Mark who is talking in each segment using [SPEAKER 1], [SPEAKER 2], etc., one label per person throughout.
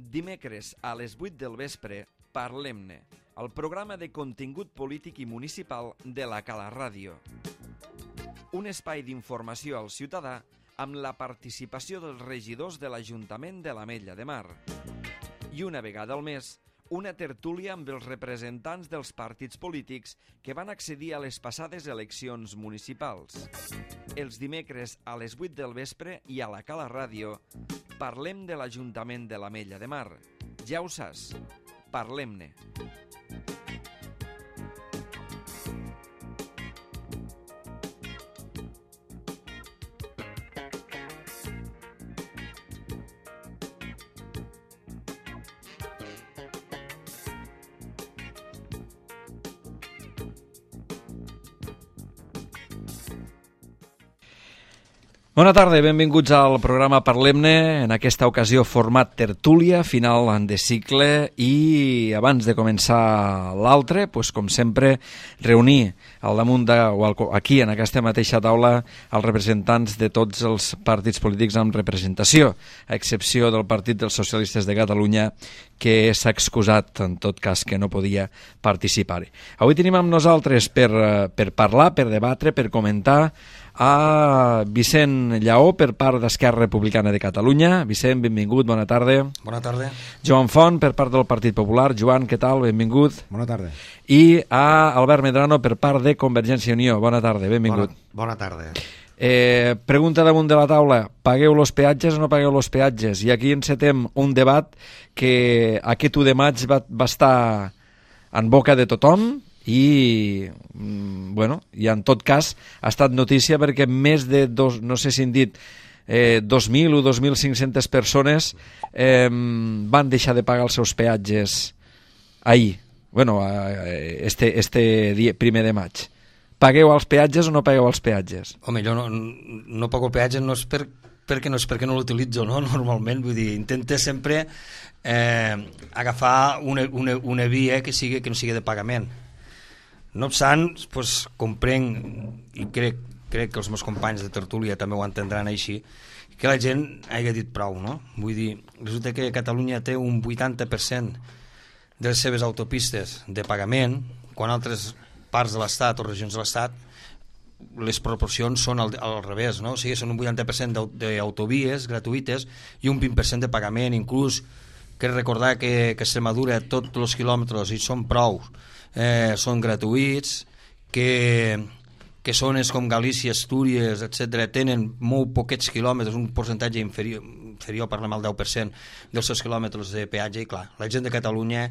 [SPEAKER 1] Dimecres a les 8 del vespre, Parlem-ne, el programa de contingut polític i municipal de la Cala Ràdio. Un espai d'informació al ciutadà amb la participació dels regidors de l'Ajuntament de l'Ametlla de Mar. I una vegada al mes, una tertúlia amb els representants dels partits polítics que van accedir a les passades eleccions municipals. Els dimecres a les 8 del vespre i a la Cala Ràdio parlem de l'Ajuntament de l'Ametlla de Mar. Ja ho saps, parlem-ne. Bona tarda, benvinguts al programa Parlem-ne, en aquesta ocasió format tertúlia, final de cicle, i abans de començar l'altre, com sempre, reunir al damunt aquí, en aquesta mateixa taula, els representants de tots els partits polítics amb representació, a excepció del Partit dels Socialistes de Catalunya, que s'ha excusat, en tot cas, que no podia participar. Avui tenim amb nosaltres per parlar, per debatre, per comentar, a Vicent Lleó per part d'Esquerra Republicana de Catalunya. Vicent, benvingut, bona tarda.
[SPEAKER 2] Bona tarda.
[SPEAKER 1] Joan Font per part del Partit Popular. Joan, què tal? Benvingut.
[SPEAKER 3] Bona tarda.
[SPEAKER 1] I a Albert Medrano per part de Convergència i Unió. Bona tarda, benvingut.
[SPEAKER 2] Bona tarda.
[SPEAKER 1] Pregunta damunt de la taula, pagueu los peatges o no pagueu los peatges? I aquí encetem un debat que aquest 1 de maig va estar en boca de tothom i en tot cas ha estat notícia perquè més de no sé si han dit 2.000 o 2.500 persones van deixar de pagar els seus peatges ahir, este dia 1 de maig. Pagueu els peatges o no pagueu els peatges?
[SPEAKER 2] Home, jo no pago el peatge, no és perquè no l'utilitzo, no? Normalment, vull dir, intento sempre agafar una via que no sigui de pagament. No obstant, comprenc i crec que els meus companys de tertúlia també ho entendran així, que la gent hagi dit prou, no? Vull dir, resulta que Catalunya té un 80% de les seves autopistes de pagament, quan altres parts de l'Estat o regions de l'Estat les proporcions són al revés, no? O sigui, són un 80% d'autovies gratuïtes i un 20% de pagament. Inclús crec recordar que Extremadura tots els quilòmetres, i són prou, són gratuïts, que zones com Galícia, Astúries, etc., tenen molt poquets quilòmetres, un percentatge inferior, parlem al 10% dels seus quilòmetres de peatge, i clar, la gent de Catalunya,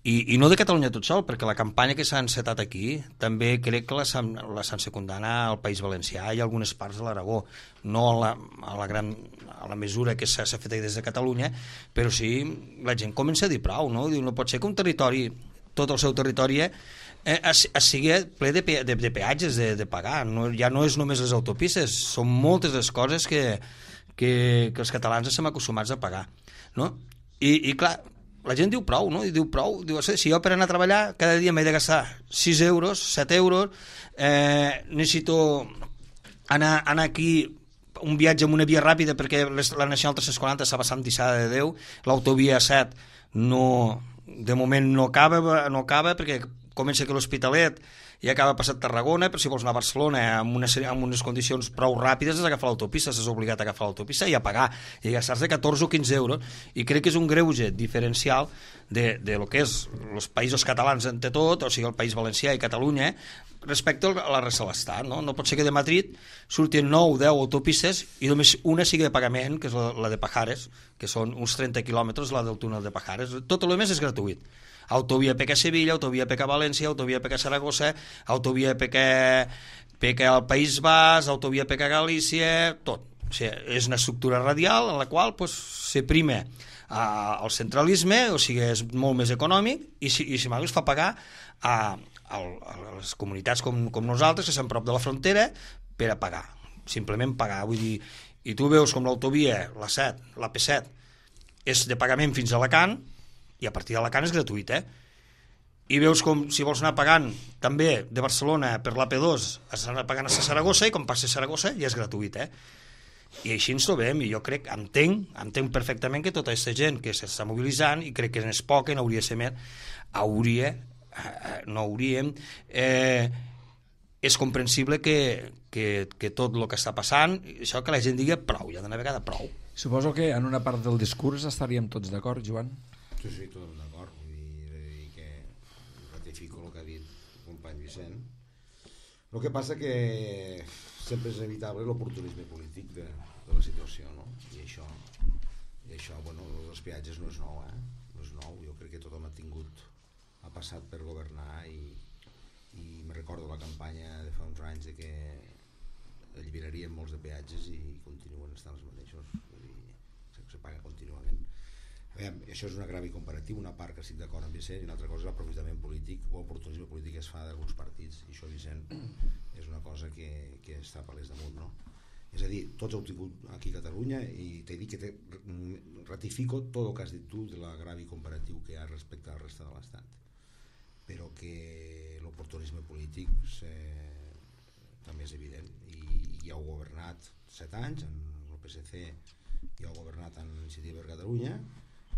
[SPEAKER 2] i no de Catalunya tot sol, perquè la campanya que s'ha encetat aquí també crec que la s'han secundat al País Valencià i a algunes parts de l'Aragó, no a la mesura que s'ha fet des de Catalunya, però sí, la gent comença a dir prou, no? No pot ser que un territori, tot el seu territori sigui ple de peatges de pagar. Ja no és només les autopistes, són moltes les coses que els catalans estem acostumats a pagar, no? I clar, la gent diu prou, no? Diu, si jo per anar a treballar cada dia m'he de gastar 6 euros, 7 euros, necessito anar aquí un viatge amb una via ràpida perquè la Nacional 340 s'ha passat tissada de Déu, l'autovia 7 de moment no acaba perquè comença aquí l'Hospitalet i acaba passat Tarragona, però si vols anar a Barcelona amb unes condicions prou ràpides has d'agafar l'autopista, s'has obligat a agafar l'autopista i a pagar, i gastar-se 14 o 15 euros, i crec que és un greuge diferencial de lo que és els països catalans entre tot, o sigui el País Valencià i Catalunya, respecte a la resta de l'Estat, no? No pot ser que de Madrid surtin 9 o 10 autopistes i només una sigui de pagament, que és la de Pajares, que són uns 30 quilòmetres, la del túnel de Pajares. Tot el més és gratuït. Autovia PK Sevilla, autovia PK València, autovia PK Saragossa, autovia PK al País Basc, autovia PK Galícia, tot. O sigui, és una estructura radial en la qual se prima el centralisme, o sigui, és molt més econòmic i si es fa pagar a les comunitats com nosaltres, que estem prop de la frontera, per a pagar, simplement pagar. Vull dir, i tu veus com l'autovia, la P7, és de pagament fins a Alacant, i a partir d'Alacant és gratuït, i veus com si vols anar pagant també de Barcelona per l'AP2 has d'anar pagant a Saragossa, i com passes a Saragossa ja és gratuït, I així ens trobem, i jo crec, entenc perfectament que tota aquesta gent que s'està mobilitzant, i crec que és poca, n'hauria de ser més, és comprensible que tot el que està passant, això que la gent digui prou, ja d'una vegada prou.
[SPEAKER 1] Suposo que en una part del discurs estaríem tots d'acord, Joan?
[SPEAKER 3] Sí, tots d'acord. Vull dir que ratifico el que ha dit el company Vicent. El que passa que sempre és inevitable l'oportunisme polític de la situació, no? I això, bueno, els peatges no és nou, no és nou. Jo crec que tothom ha passat per governar i me recordo la campanya de fa uns anys de que alliberarien molts de peatges i continuen estant els mateixos. Vull dir, se paga contínuament. Veiem, això és un agravi comparatiu, una part que estic d'acord amb Vicent, i una altra cosa és l'aprofitament polític o oportunisme polític que es fa d'alguns partits, i això, Vicent, és una cosa que està a palès damunt, no? És a dir, tots heu tingut aquí a Catalunya, i t'he dit que ratifico tot el que has dit tu de l'agravi comparatiu que hi ha respecte a la resta de l'Estat, però que l'oportunisme polític també és evident, i ja heu governat 7 anys, en el PSC ja heu governat en Iniciativa per Catalunya,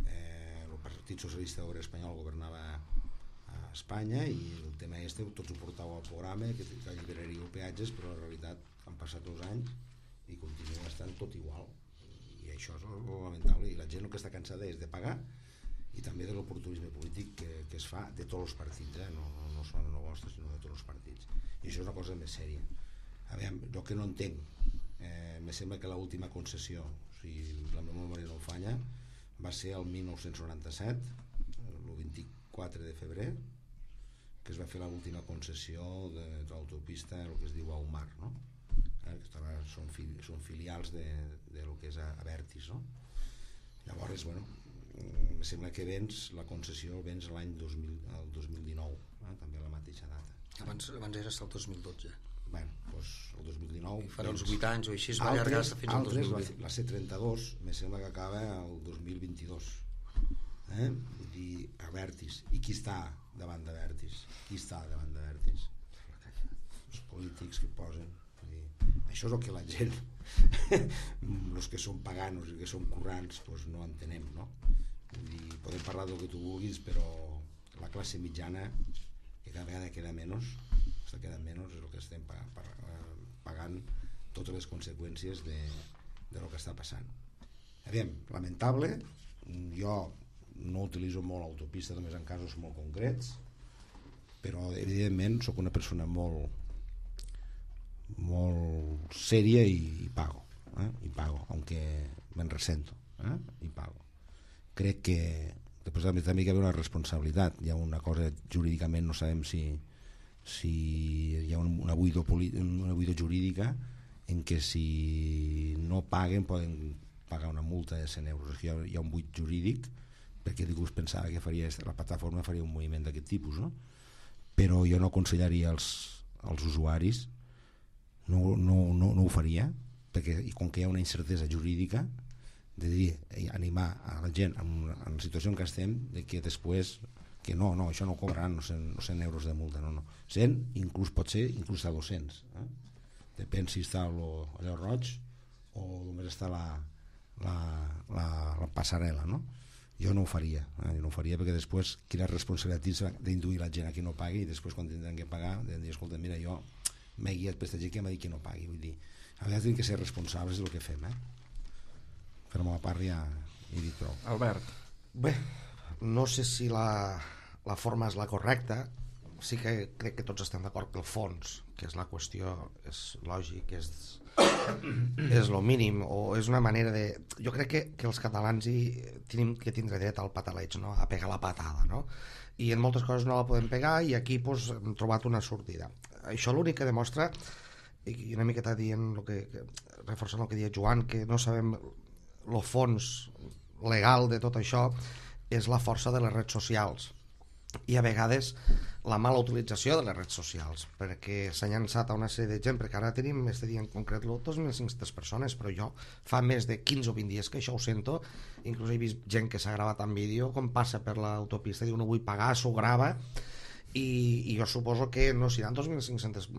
[SPEAKER 3] el Partit Socialista Obrer Espanyol governava a Espanya, i el tema tots ho portàveu al programa que alliberaríeu peatges, però en realitat han passat 2 anys i continua estant tot igual, i això és lamentable, i la gent el que està cansada és de pagar i també de l'oportunisme polític que es fa de tots els partits, no són el vostre sinó de tots els partits, i això és una cosa més sèria. A veure, jo que no entenc, me sembla que l'última concessió, si la meva memòria no falla, va ser el 1997, el 24 de febrer, que es va fer l'última concessió de l'autopista, el que es diu Aumar, no? Són filials de lo que és Abertis, no? Llavors, bueno, em sembla que la concessió vens l'any 2019, també a la mateixa data.
[SPEAKER 2] Abans era fins al 2012.
[SPEAKER 3] Bueno, doncs el 2019...
[SPEAKER 2] Farà uns 8 anys o així, es va allargar fins al 2020.
[SPEAKER 3] La C32, me sembla que acaba el 2022. Vull dir, Abertis. I qui està davant d'Abertis? Els polítics que posen. Vull dir, això és el que la gent, els que són paganos i que són currants, doncs no entenem, no? Vull dir, podem parlar del que tu vulguis, però la classe mitjana, que cada vegada queda menys, és el que estem pagant totes les conseqüències de lo que està passant. Aviam, lamentable, jo no utilitzo molt l'autopista, només en casos molt concrets, però evidentment sóc una persona molt sèria i pago, aunque me'n resento, i pago. Crec que després també hi ha una responsabilitat, hi ha una cosa jurídicament, no sabem si hi ha una buida jurídica en què si no paguen poden pagar una multa de 100 euros. Aquí hi ha un buit jurídic, perquè ningú pensava que la plataforma faria un moviment d'aquest tipus, no? Però jo no aconsellaria als usuaris, no ho faria, perquè com que hi ha una incertesa jurídica, de dir, animar a la gent en la situació en què estem, de que després que no, això no cobraran 100 euros de multa, no. 100 inclús pot ser inclús a 200, depèn si està allò roig o només està la passarel·la, no? Jo no ho faria, perquè després quina responsabilitat d'induir la gent a que no pagui, i després quan tindran que pagar de dir, escolta, mira, jo m'he guiat per aquesta gent que m'ha dit que no pagui. Vull dir, a vegades hem de ser responsables del que fem, per la meva part ja he dit prou.
[SPEAKER 1] Albert.
[SPEAKER 4] Bé, no sé si la forma és la correcta, sí que crec que tots estem d'acord que el fons, que és la qüestió, és lògic, és lo mínim, o és una manera de... Jo crec que els catalans tenim que tindre dret al pataleig, no? A pegar la patada, no? I en moltes coses no la podem pegar, i aquí pues, hem trobat una sortida. Això l'únic que demostra, i una miqueta dient reforçant el que deia Joan, que no sabem el fons legal de tot això, és la força de les redes socials, i a vegades la mala utilització de les redes socials, perquè s'ha llançat a una sèrie de gent, perquè ara tenim este dia en concret 2.500 persones, però jo fa més de 15 o 20 dies que això ho sento, inclús he vist gent que s'ha gravat en vídeo com passa per l'autopista, diu no vull pagar, s'ho grava, i jo suposo que no seran 2.500,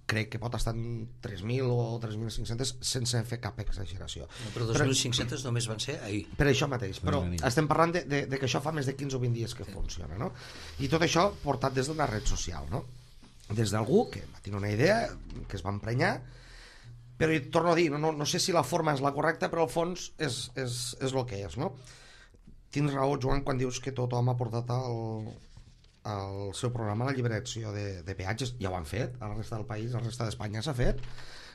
[SPEAKER 4] crec que pot estar en 3.000 o 3.500 sense fer cap exageració.
[SPEAKER 2] No, però 2.500 només van ser ahir.
[SPEAKER 4] Per això mateix, però estem parlant de que això fa més de 15 o 20 dies que funciona, no? I tot això portat des d'una red social, no? Des d'algú que va tenir una idea, que es va emprenyar, però torno a dir, no sé si la forma és la correcta, però al fons és el que és, no? Tens raó, Joan, quan dius que tothom ha portat el seu programa a la lliberació de peatges. Ja ho han fet, a la resta del país, a la resta d'Espanya s'ha fet.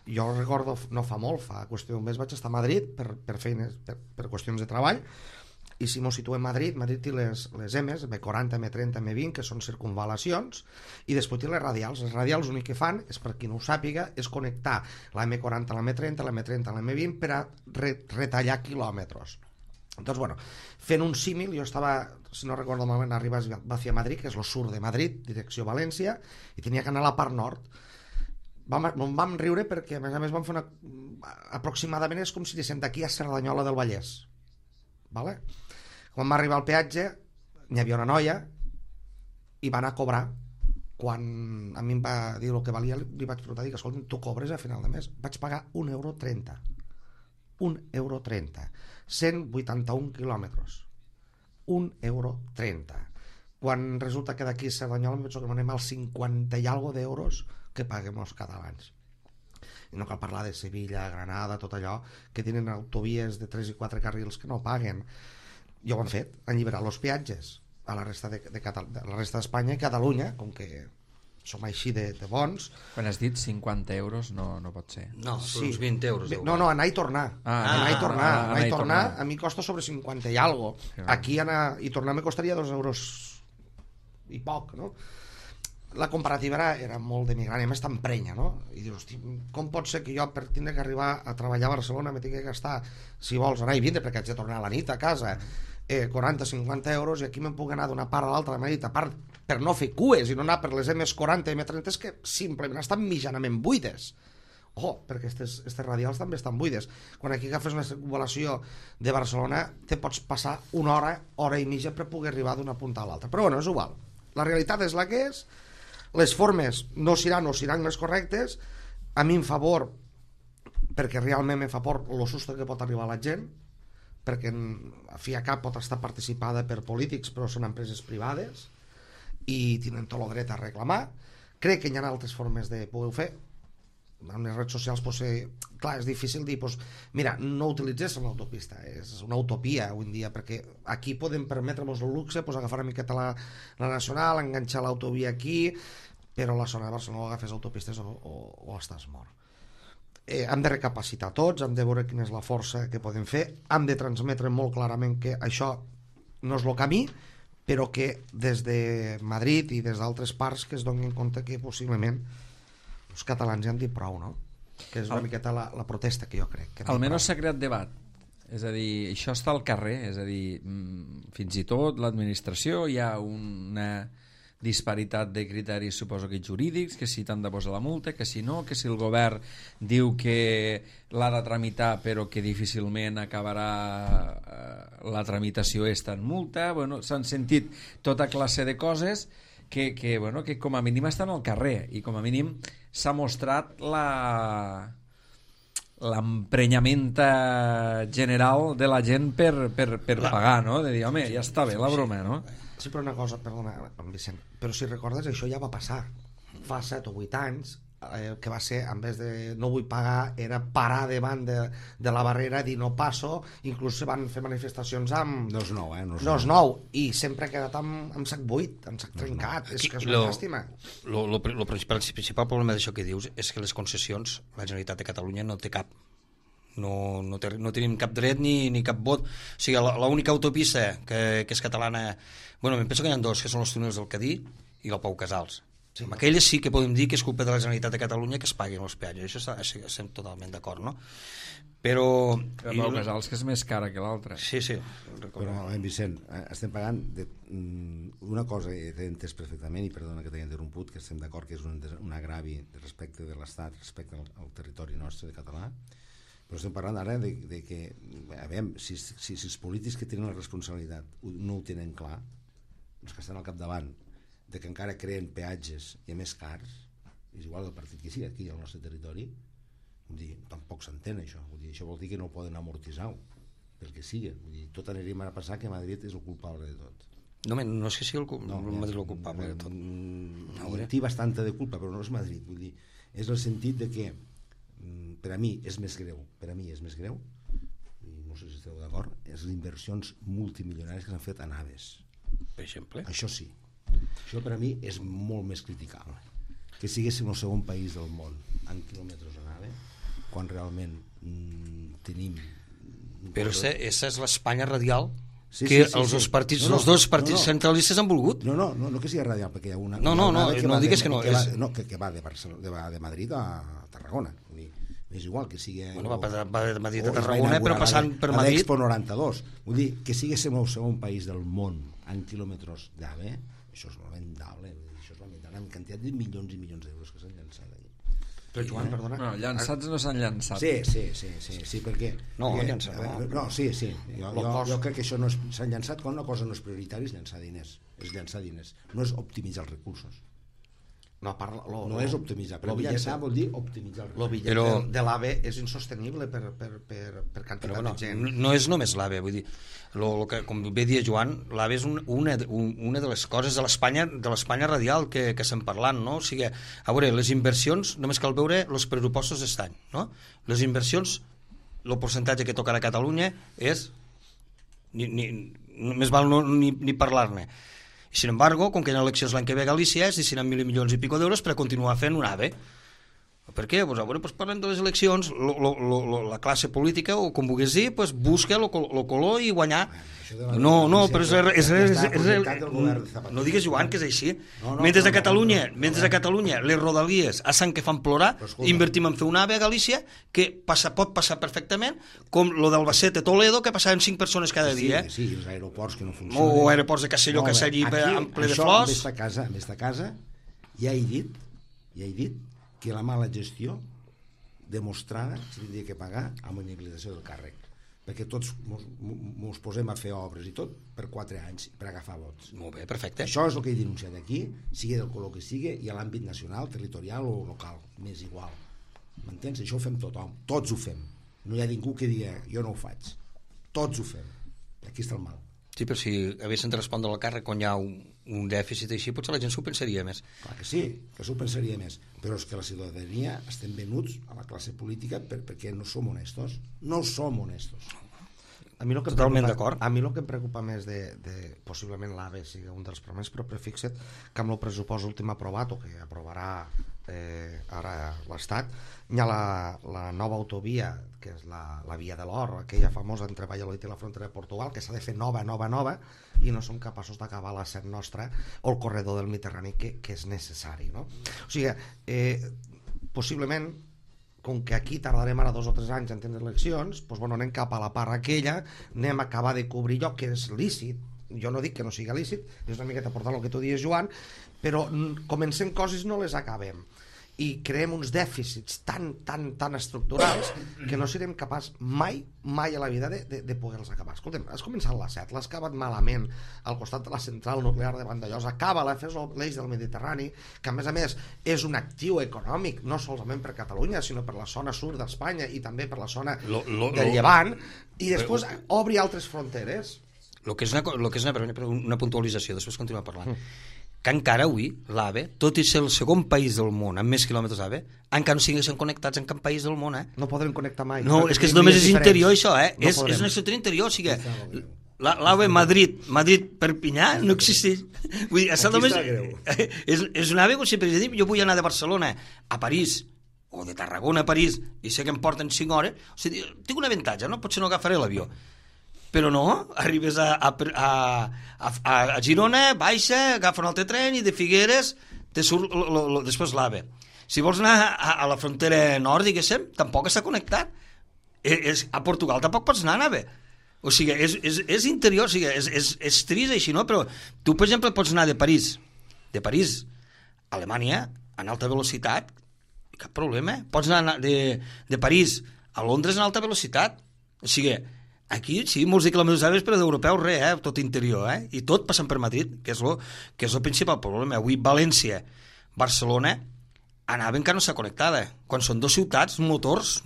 [SPEAKER 4] Jo recordo, no fa molt, fa qüestió d'un mes vaig estar a Madrid per feines, per qüestions de treball, i si m'ho situem a Madrid té les M's, M40, M30, M20, que són circunvalacions, i després té les radials. Les radials l'únic que fan, és per qui no ho sàpiga, és connectar la M40 a la M30, la M30 a la M20 per a retallar quilòmetres. Doncs, bueno, fent un símil, jo estava, si no recordo malament, arribes hacia Madrid, que és el sur de Madrid, direcció València, i tenia que anar a la part nord. Vam riure perquè, a més vam fer aproximadament és com si diguéssim d'aquí a Cerdanyola del Vallès. Vale? Quan va arribar al peatge, n'hi havia una noia i va anar a cobrar. Quan a mi em va dir el que valia, li vaig preguntar, dic, escolta, tu cobres a final de mes? Vaig pagar €1,30. €1,30. 181 quilòmetres. €1,30. Quan resulta que d'aquí a Cerdanyola em penso que anem als 50 i alguna d'euros que paguem els catalans. I no cal parlar de Sevilla, Granada, tot allò, que tenen autovies de 3 i 4 carrils que no paguen. Ja ho han fet, han alliberat els peatges a la resta d'Espanya i Catalunya, com que som així de bons.
[SPEAKER 1] Quan has dit 50 euros no pot ser.
[SPEAKER 2] No, són uns 20 euros.
[SPEAKER 4] No, anar i tornar. Anar i tornar a mi costa sobre 50 i algo. Aquí anar i tornar me costaria €2 i poc, no? La comparativa era molt demigrant, i a més t'emprenya, no? I dius, hosti, com pot ser que jo per tindre que arribar a treballar a Barcelona me tingui que gastar, si vols, anar i vindre, perquè haig de tornar a la nit a casa, 40-50 euros, i aquí me'n puc anar d'una part a l'altra de Madrid, a part per no fer cues i no anar per les M40 i M30 que simplement estan mitjanament buides. Perquè aquestes radials també estan buides. Quan aquí agafes una circunvalació de Barcelona te pots passar una hora i mitja per poder arribar d'una punta a l'altra. Però bueno, és igual. La realitat és la que és, les formes no seran les correctes, a mi em favor, perquè realment me fa por el susto que pot arribar a la gent, perquè a fi a cap pot estar participada per polítics, però són empreses privades i tenen tot el dret a reclamar. Crec que hi ha altres formes de poder-ho fer. En les redes socials, clar, és difícil dir, mira, no utilitzés l'autopista, és una utopia avui en dia, perquè aquí podem permetre'ns el luxe, agafar una miqueta la nacional, enganxar l'autovia aquí, però a la zona de Barcelona agafes autopistes o estàs mort. Hem de recapacitar tots, hem de veure quina és la força que podem fer, hem de transmetre molt clarament que això no és el camí, però que des de Madrid i des d'altres parts que es donin compte que possiblement els catalans ja han dit prou, no? Que és una miqueta la protesta que jo crec.
[SPEAKER 1] Almenys s'ha creat debat. És a dir, això està al carrer, és a dir, fins i tot l'administració hi ha una disparitat de criteris, suposo que jurídics, que si t'han de posar la multa, que si no, que si el govern diu que l'ha de tramitar però que difícilment acabarà la tramitació en multa. Bueno, s'han sentit tota classe de coses que com a mínim estan al carrer i com a mínim s'ha mostrat l'emprenyament general de la gent per pagar, no? De dir, home, ja està bé la broma, no?
[SPEAKER 4] Sí, però una cosa, perdona, Vicent, però si recordes, això ja va passar fa 7 o 8 anys, que va ser, en vez de no vull pagar, era parar davant de la barrera, dir no passo, inclús se van fer manifestacions amb...
[SPEAKER 3] No és nou,
[SPEAKER 4] no és nou, i sempre ha quedat amb sac buit, amb sac trencat, és que és una llàstima.
[SPEAKER 2] El principal problema d'això que dius és que les concessions, la Generalitat de Catalunya no té cap. No tenim cap dret ni cap vot. O sigui, l'única autopista que és catalana, bueno, em penso que hi ha dos, que són els túnels del Cadí i el Pau Casals. Sí. Amb aquelles sí que podem dir que és culpa de la Generalitat de Catalunya que es paguin els peatges, això estem totalment d'acord, no? Però
[SPEAKER 1] Pau Casals, que és més cara que l'altra.
[SPEAKER 2] Sí.
[SPEAKER 3] Però, Vicent, estem pagant una cosa que t'he entès perfectament, i perdona que t'he interromput, que estem d'acord que és un agravi respecte de l'Estat, respecte al territori nostre de català, però estem parlant ara de que, a veure, si els polítics que tenen la responsabilitat no ho tenen clar, els que estan al capdavant de que encara creen peatges i a més cars, és igual del partit que sigui aquí al nostre territori, vull dir, tampoc s'entén això. Vull dir, això vol dir que no ho poden amortitzar pel que sigui. Vull dir, tot anirem a passar que Madrid és el culpable de tot.
[SPEAKER 2] No és que sigui Madrid el culpable de tot.
[SPEAKER 3] En té bastanta de culpa, però no és Madrid. Vull dir, és el sentit de que per a mi és més greu, i no sé si esteu d'acord, és les inversions multimilionàries que s'han fet a naves.
[SPEAKER 2] Per exemple?
[SPEAKER 3] Això sí. Això per a mi és molt més criticable. Que siguéssim el segon país del món en quilòmetres a nave, quan realment tenim...
[SPEAKER 2] Però aquesta és l'Espanya radial
[SPEAKER 3] Sí,
[SPEAKER 2] que
[SPEAKER 3] sí,
[SPEAKER 2] els
[SPEAKER 3] sí.
[SPEAKER 2] dos partits, els dos partits centralistes han volgut.
[SPEAKER 3] No que sigui radial, perquè hi ha una...
[SPEAKER 2] No digues que no.
[SPEAKER 3] Que va de Madrid a Tarragona. Vull dir, és igual que sigui...
[SPEAKER 2] Va de Madrid a Tarragona, però passant per Madrid...
[SPEAKER 3] L'Expo 92. Vull dir, que siguéssim el segon país del món en quilòmetres d'AVE, això és lamentable. Això és lamentable, amb quantitat de milions i milions d'euros que s'han llançat allà.
[SPEAKER 4] Però Joan, perdona.
[SPEAKER 1] No, llançats no s'han llançat.
[SPEAKER 3] Sí, perquè...
[SPEAKER 2] No,
[SPEAKER 3] perquè,
[SPEAKER 2] llançat.
[SPEAKER 3] No, sí. Jo crec que això no s'ha llançat quan una cosa no és prioritària, és llançar diners. No és optimitzar els recursos.
[SPEAKER 4] No, parla,
[SPEAKER 3] no és optimitzar, però llançar vol dir optimitzar els recursos.
[SPEAKER 4] El bitllet de l'AVE és insostenible per quantitat de gent.
[SPEAKER 2] No és només l'AVE, vull dir, com bé dia Joan, l'AVE és una de les coses de l'Espanya radial que estem parlant, no? O sigui, a veure, les inversions, només cal veure els pressupostos d'aquest any, no? Les inversions, el percentatge que tocarà a Catalunya és més val ni parlar-ne. Sin embargo, com que hi ha eleccions l'any que ve a Galícia, es destinen 1.000 milions i pico d'euros per a continuar fent un AVE. Per què? Pues, pues parlem de les eleccions, la classe política, o com vulguis dir, pues, busca el color i guanyar. No, però no digues, Joan, que és així. Mentre a Catalunya les rodalies a Sant que fan plorar, invertim en fer un AVE a Galícia que pot passar perfectament, com lo d'Albacete Toledo, que passaven 5 persones cada dia.
[SPEAKER 3] Sí, els aeroports que no funcionen.
[SPEAKER 2] O aeroports de Castelló, que s'allí en ple de flors.
[SPEAKER 3] En aquesta casa ja he dit que la mala gestió demostrada s'hauria que pagar amb la inhabilitació del càrrec, perquè tots mos posem a fer obres i tot per 4 anys per agafar vots.
[SPEAKER 2] Molt bé, perfecte.
[SPEAKER 3] Això és el que he denunciat aquí, sigui del color que sigui, i a l'àmbit nacional, territorial o local, m'és igual. M'entens? Això ho fem tothom, tots ho fem. No hi ha ningú que digui jo no ho faig. Tots ho fem. Aquí està el mal.
[SPEAKER 2] Sí, però si haguessin de respondre al càrrec quan hi ha un dèficit així, potser la gent s'ho pensaria més.
[SPEAKER 3] Clar que sí, que s'ho pensaria més, però és que la ciutadania estem venuts a la classe política perquè no som honestos. No som honestos.
[SPEAKER 4] A mi
[SPEAKER 2] totalment d'acord.
[SPEAKER 4] A mi el que em preocupa més de possiblement l'AVE sigui un dels problemes, però fixa't que amb el pressupost últim aprovat o que aprovarà ara l'Estat hi ha la nova autovia, que és la Via de l'Or, aquella famosa entre Valladolid i la frontera de Portugal, que s'ha de fer nova, i no som capaços d'acabar la set nostra o el corredor del Mediterrani que és necessari, no? O sigui, possiblement, com que aquí tardarem ara 2 o 3 anys en tenir eleccions, doncs, bueno, anem cap a la part aquella, anem a acabar de cobrir allò que és lícit. Jo no dic que no sigui lícit, és una miqueta portant el que tu dius, Joan, però comencem coses i no les acabem. I creem uns dèficits tan estructurals que no serem capaç mai a la vida de poder-los acabar. Escolta'm, has començat la 7, l'has acabat malament al costat de la central nuclear de Vandellòs, acaba-la, fes l'eix del Mediterrani, que a més és un actiu econòmic, no solament per Catalunya, sinó per la zona sud d'Espanya i també per la zona del Llevant, i després obri altres fronteres.
[SPEAKER 2] El que és una puntualització, després continuem parlant. Que encara avui l'AVE, tot i ser el segon país del món amb més quilòmetres d'AVE, encara no siguessin connectats en cap país del món.
[SPEAKER 4] No podrem connectar mai.
[SPEAKER 2] No, és que només és interior això, és una estructura interior, o sigui, l'AVE Madrid-Perpinyà no existeix. Vull dir, és un AVE, sempre he dit, jo vull anar de Barcelona a París, o de Tarragona a París, i sé que em porten 5 hores, o sigui, tinc un avantatge, no? Potser no agafaré l'avió. Però no, arribes a Girona, baixa, agafa un altre tren i de Figueres te surt després l'AVE. Si vols anar a la frontera nord, diguéssim, tampoc està connectat. A Portugal tampoc pots anar a AVE. O sigui, és interior, o sigui, és trist així, no? Però tu, per exemple, pots anar de París a Alemanya en alta velocitat, cap problema. Pots anar de París a Londres en alta velocitat. O sigui, Aquí, sí, molts quilòmetres d'àrees, però d'europeus res, tot interior, i tot passant per Madrid, que és el principal problema. Avui València, Barcelona, anava encara no s'ha connectada, quan són dues ciutats motors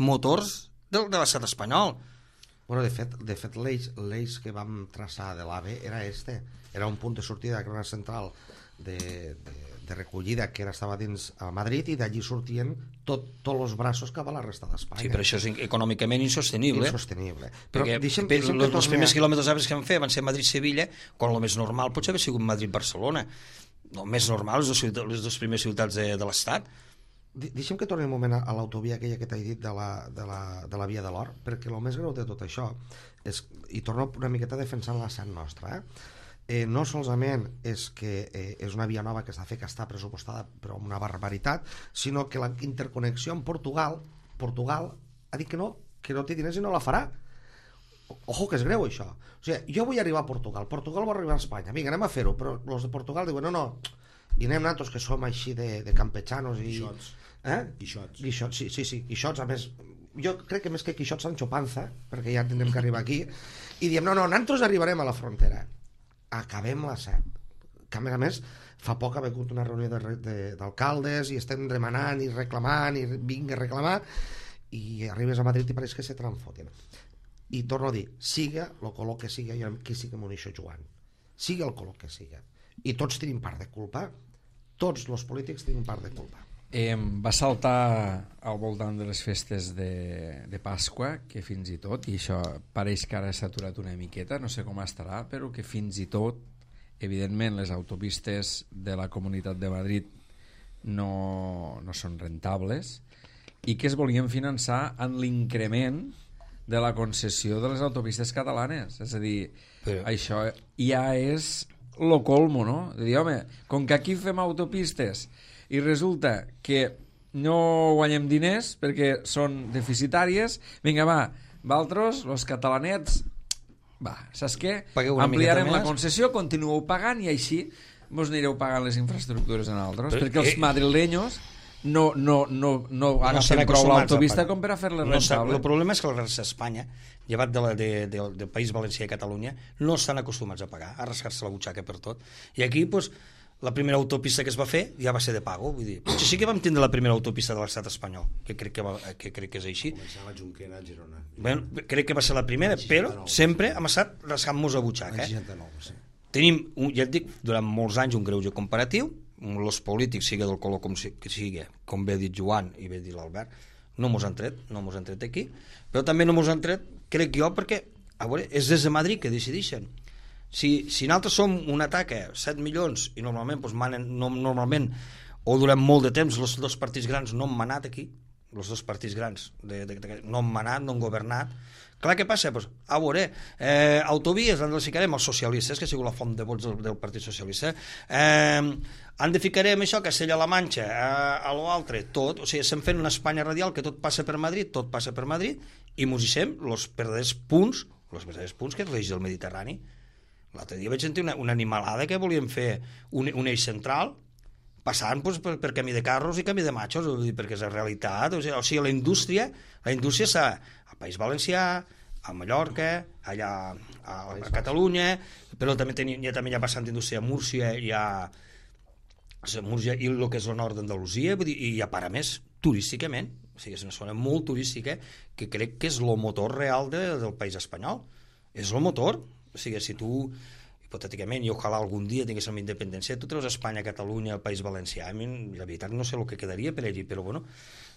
[SPEAKER 2] de l'estat espanyol.
[SPEAKER 4] Bueno, de fet l'eix que vam traçar de l'AVE era un punt de sortida de la central de recollida que estava dins a Madrid, i d'allí sortien tots els braços cap a la resta d'Espanya.
[SPEAKER 2] Sí, però això és econòmicament insostenible.
[SPEAKER 4] Però
[SPEAKER 2] els primers quilòmetres d'arbres que vam fer van ser Madrid-Sevilla, quan el més normal potser haver sigut Madrid-Barcelona. El més normal, les dues primeres ciutats de l'Estat.
[SPEAKER 4] Deixa'm que torni un moment a l'autovia aquella que t'he dit de la Via de l'Or, perquè el més greu de tot això és, i torno una miqueta defensant la Sant Nostra, no solament és que és una via nova que s'ha fet, que està pressupostada però una barbaritat, sinó que la interconnexió amb Portugal ha dit que no té diners i no la farà. Ojo, que és greu això. O sigui, jo vull arribar a Portugal vol arribar a Espanya, vinga, anem a fer-ho, però els de Portugal diuen no, i anem nosaltres que som així de campechanos i... Guixots, sí, Guixots, a més jo crec que més que Quixots Sancho Panza, perquè ja tindrem que arribar aquí, i diem no, nosaltres arribarem a la frontera, acabem la SEP, que a més fa poc ha hagut una reunió d'alcaldes i estem demanant i reclamant i vinga a reclamar, i arribes a Madrid i pareix que se transfoten. I torno a dir, siga el color que siga, jo aquí sí que m'ho deixo jugant, siga el color que siga, i tots tenim part de culpa, tots els polítics tenim part de culpa.
[SPEAKER 1] Va saltar al voltant de les festes de Pasqua, que fins i tot, i això pareix que ara s'ha aturat una miqueta, no sé com estarà, però que fins i tot, evidentment, les autopistes de la Comunitat de Madrid no són rentables, i que es volien finançar en l'increment de la concessió de les autopistes catalanes. És a dir, això ja és lo colmo, no? De dir, home, com que aquí fem autopistes i resulta que no guanyem diners perquè són deficitàries, vinga, vosaltres, els catalanets, saps què? Ampliarem la concessió, continueu pagant i així vos anireu pagant les infraestructures en altres, perquè els madrileños no agafen prou l'autopista com per a fer-les rentable.
[SPEAKER 2] El problema és que la resta d'Espanya, llevat del País Valencià i Catalunya, no estan acostumats a pagar, a rascar-se la butxaca per tot. I aquí, doncs, la primera autopista que es va fer ja va ser de pago, vull dir, potser sí que vam tindre la primera autopista de l'estat espanyol, que crec que és així.
[SPEAKER 3] Començava a Junquera, a Girona.
[SPEAKER 2] Bueno, crec que va ser la primera, però sempre hem estat rascant-nos a butxaca. Tenim, ja et dic, durant molts anys un greuge comparatiu, els polítics, sigui del color com sigui, com bé ha dit Joan i bé ha dit l'Albert, no mos han tret aquí, però també no mos han tret, crec jo, perquè a veure, és des de Madrid que decideixen. Si nosaltres som una taca 7 milions i normalment normalment o durant molt de temps els dos partits grans no han manat aquí, els dos partits grans no han manat, no han governat, clar, què passa? Pues, a veure, autovies han de ficarem els socialistes, que ha sigut la font de vots del Partit Socialista, han de ficarem això, Castella-La Manxa, a l'altre, tot, o sigui, estem fent una Espanya radial que tot passa per Madrid, i mos deixem els verdaders punts que és l'eix del Mediterrani. L'altre dia vaig sentir una animalada que volien fer un eix central passant per camí de carros i camí de machos, perquè és la realitat. O sigui, la indústria està al País Valencià, a Mallorca, allà a Catalunya, però també hi ha bastant indústria a Múrcia i el que és el nord d'Andalusia, i a part a més turísticament, o sigui, és una zona molt turística que crec que és el motor real del país espanyol, és el motor. O sigui, si tu, hipotèticament, i ojalà algun dia tinguéssim independència, tu treus Espanya, Catalunya, el País Valencià, la veritat no sé el que quedaria per allí, però bueno,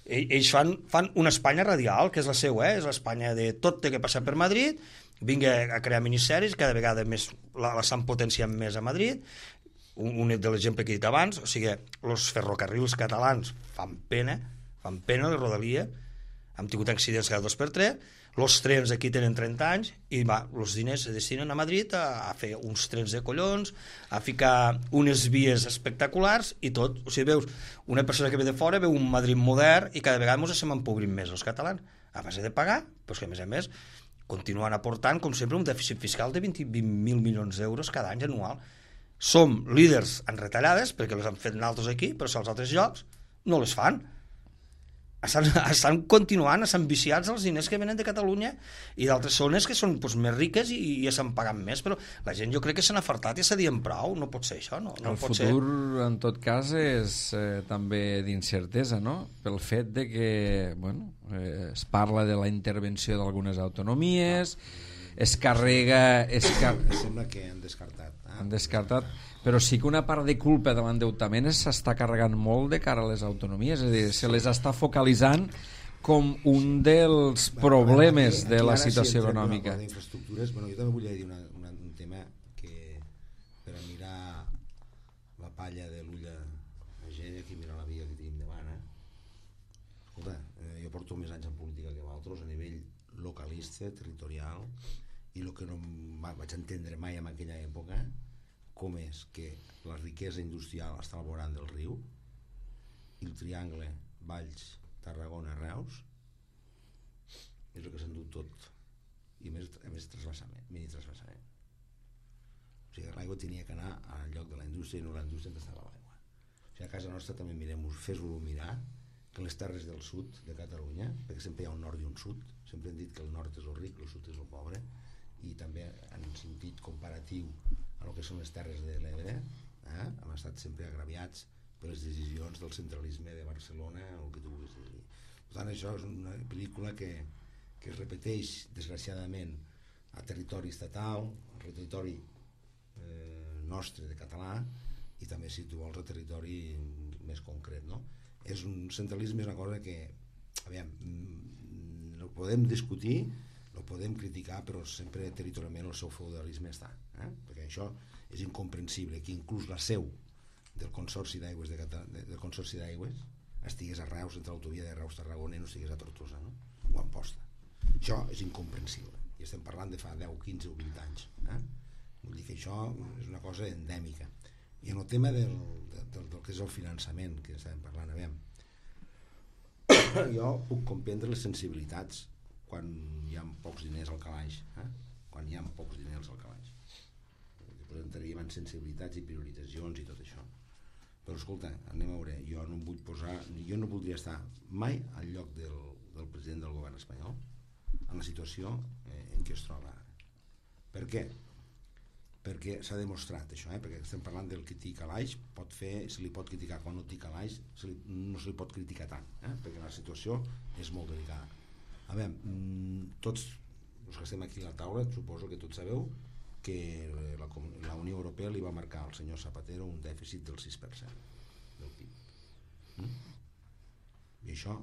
[SPEAKER 2] ells fan una Espanya radial, que és la seva, és l'Espanya de tot té que passar per Madrid, vinga a crear ministeris, cada vegada més l'estan potenciant més a Madrid. Un de l'exemple que he dit abans, o sigui, els ferrocarrils catalans fan pena la rodalia, hem tingut accidents cada 2x3, els trens aquí tenen 30 anys i els diners se destinen a Madrid a fer uns trens de collons, a ficar unes vies espectaculars i tot. O sigui, veus, una persona que ve de fora veu un Madrid modern i cada vegada ens estem empobrint més els catalans, a base de pagar, però que a més continuen aportant, com sempre, un dèficit fiscal de 20.000 milions d'euros cada any anual. Som líders en retallades, perquè les han fet nosaltres aquí, però si als altres llocs no les fan. estan continuant, estan viciats els diners que venen de Catalunya i d'altres zones que són més riques i s'han pagat més, però la gent jo crec que s'han afartat i s'ha dient prou, no pot ser això, no?
[SPEAKER 1] El futur, en tot cas, és també d'incertesa, no? Pel fet de que, bueno, es parla de la intervenció d'algunes autonomies, es carrega...
[SPEAKER 3] Sembla que han descartat.
[SPEAKER 1] Han descartat, però sí que una part de culpa de l'endeutament s'està carregant molt de cara a les autonomies, és a dir, se les està focalitzant com un dels problemes de la situació econòmica.
[SPEAKER 3] D'infraestructures, bueno, jo també volia dir un tema que per a mirar la palla de l'ull a gent, aquí mira la via que tenim davant, escolta, jo porto més anys en política que vosaltres a nivell localista, territorial, i el que no vaig entendre mai en aquella època, com és que la riquesa industrial està al vorant del riu i el triangle Valls, Tarragona, Reus és el que s'endú tot, i a més trasbassament, mini trasbassament. O sigui, l'aigua tenia que anar al lloc de la indústria i no la indústria on estava l'aigua. O sigui, a casa nostra també fes-ho mirar que les terres del sud de Catalunya, perquè sempre hi ha un nord i un sud, sempre hem dit que el nord és el ric, el sud és el pobre, i també en sentit comparatiu a el que són les terres de l'Ebre, hem estat sempre agraviats per les decisions del centralisme de Barcelona o el que tu vulguis dir. Per tant, això és una pel·lícula que es repeteix desgraciadament a territori estatal, a territori nostre de català, i també, si tu vols, a territori més concret, no? És un centralisme, és una cosa que, aviam, no podem discutir, lo podem criticar, però sempre territorialment el seu feudalisme està, perquè això és incomprensible, que inclús la seu del Consorci d'Aigües del Consorci d'Aigües estigués a Reus, entre l'autovia de Reus-Tarragona, i no estigués a Tortosa, no? O a Amposta. Això és incomprensible, i estem parlant de fa 10, 15 o 20 anys. Vull dir que això és una cosa endèmica. I en el tema del que és el finançament, que estàvem parlant, aviam, jo puc comprendre les sensibilitats quan hi ha pocs diners al calaix, quan hi ha pocs diners al calaix. Entraríem en sensibilitats i prioritzacions i tot això. Però escolta, anem a veure, jo no voldria estar mai al lloc del president del govern espanyol en la situació en què es troba ara. Per què? Perquè s'ha demostrat això, perquè estem parlant del que té calaix, se li pot criticar quan no té calaix, no se li pot criticar tant, perquè la situació és molt delicada. A veure, tots els que estem aquí a la taula, suposo que tots sabeu que la Unió Europea li va marcar al senyor Zapatero un dèficit del 6% del PIB. I això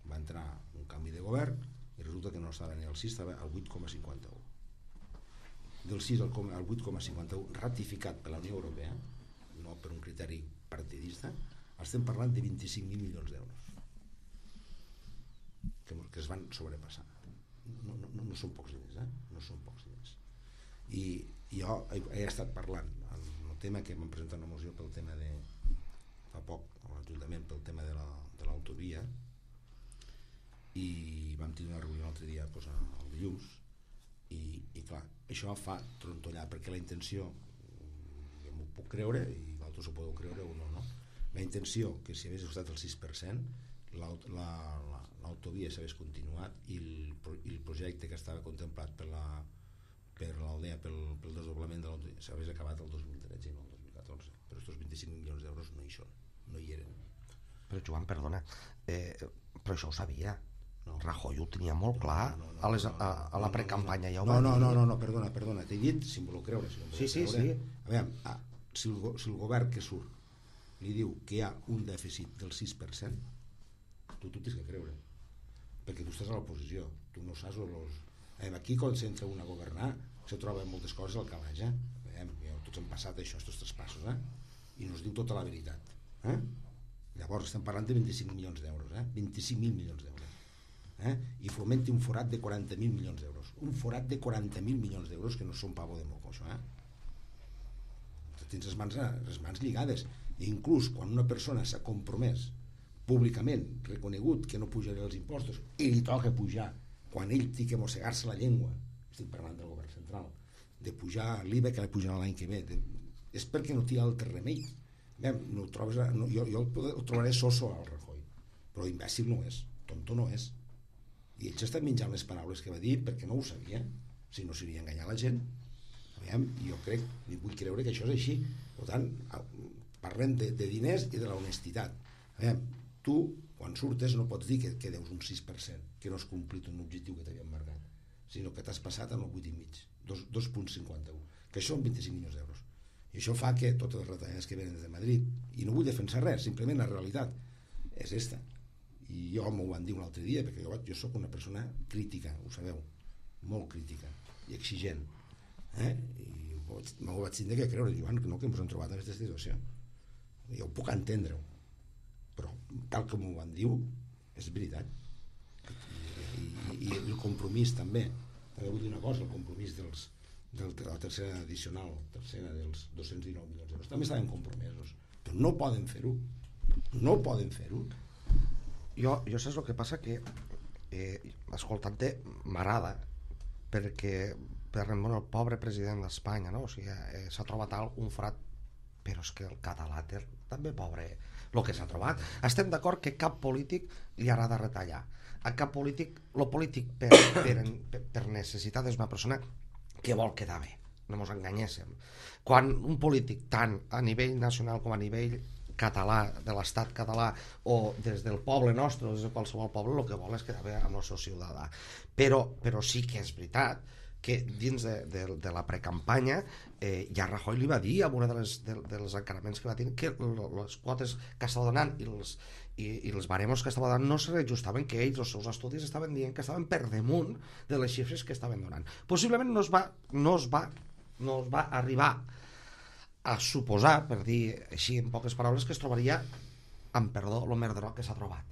[SPEAKER 3] va entrar un canvi de govern i resulta que no estava ni al 6, estava al 8,51. Del 6 al 8,51 ratificat per la Unió Europea, no per un criteri partidista, estem parlant de 25.000 milions d'euros que es van sobrepassar. No són pocs diners, no són pocs diners. I jo he estat parlant el tema que m'han presentat una moció pel tema de fa poc a l'Ajuntament pel tema de l'autovia, i vam tenir una reunió l'altre dia, el dilluns, i clar, això fa trontollar, perquè la intenció, jo m'ho puc creure i vosaltres ho podeu creure o no, la intenció que si hagués estat el 6% l'autovia s'hagués continuat i el projecte que estava contemplat per l'Aldea, pel desdoblament de l'autovia, s'hagués acabat el 2013 i no el 2014, però aquests 25 milions d'euros no hi són, no hi eren.
[SPEAKER 4] Però Joan, perdona, però això ho sabia. Rajoy ho tenia molt clar a la precampanya.
[SPEAKER 3] No, perdona, t'he dit si em voleu creure.
[SPEAKER 4] Sí.
[SPEAKER 3] A veure, si el govern que surt li diu que hi ha un dèficit del 6%, tu tens que creure, perquè tu estàs a l'oposició, tu no saps aquí quan s'entra un a governar se troben moltes coses al calaix, tots hem passat això, aquests traspassos, i no es diu tota la veritat, llavors estem parlant de 25 milions d'euros, 25.000 milions d'euros, i fomenti un forat de 40.000 milions d'euros, un forat de 40.000 milions d'euros que no són pavo de moco, això, tens les mans lligades, i inclús quan una persona s'ha compromès públicament, reconegut que no pujarà els impostos i li toca pujar quan ell té que mossegar-se la llengua, estic parlant del govern central, de pujar l'IVA que li pujarà l'any que ve, és perquè no té altre remei. Jo el trobaré soso al Rajoy, però imbècil no és, tonto no és. I ell s'està menjant les paraules que va dir perquè no ho sabia, si no seria enganyar la gent. Aviam, jo crec, i vull creure que això és així. Per tant, parlem de diners i de la honestitat. Aviam, tu, quan surtes, no pots dir que deus un 6%, que no has complit un objectiu que t'havien marcat, sinó que t'has passat en el 8,5, 2,51, que això són 25 milions d'euros. I això fa que totes les retallades que venen des de Madrid, i no vull defensar res, simplement la realitat és esta. I jo m'ho van dir un altre dia, perquè jo soc una persona crítica, ho sabeu, molt crítica i exigent, i m'ho vaig tindre que creure, Joan, que ens hem trobat en aquesta situació. Jo ho puc entendre-ho, però tal com m'ho van dir és veritat. I el compromís també vull dir una cosa, el compromís de la tercera addicional, tercera dels 219 milions d'euros, també estaven compromesos, però no poden fer-ho.
[SPEAKER 4] Jo saps el que passa, que escoltant-te m'agrada, perquè el pobre president d'Espanya, no? O sigui, s'ha trobat un forat, però és que el català també pobre el que s'ha trobat. Estem d'acord que cap polític li agrada retallar, a cap polític, el polític per necessitat és una persona que vol quedar bé, no ens enganyéssim. Quan un polític, tant a nivell nacional com a nivell català, de l'estat català, o des del poble nostre, o des de qualsevol poble, el que vol és quedar bé amb el seu ciutadà. Però sí que és veritat que dins de la precampanya ja Rajoy li va dir, en un dels encaraments que va tenir, que les quotes que estava donant i els baremos que estava donant no se reajustaven, que ells, els seus estudis, estaven dient que estaven per damunt de les xifres que estaven donant. Possiblement no es va arribar a suposar, per dir així en poques paraules, que es trobaria, amb perdó, el merderot que s'ha trobat.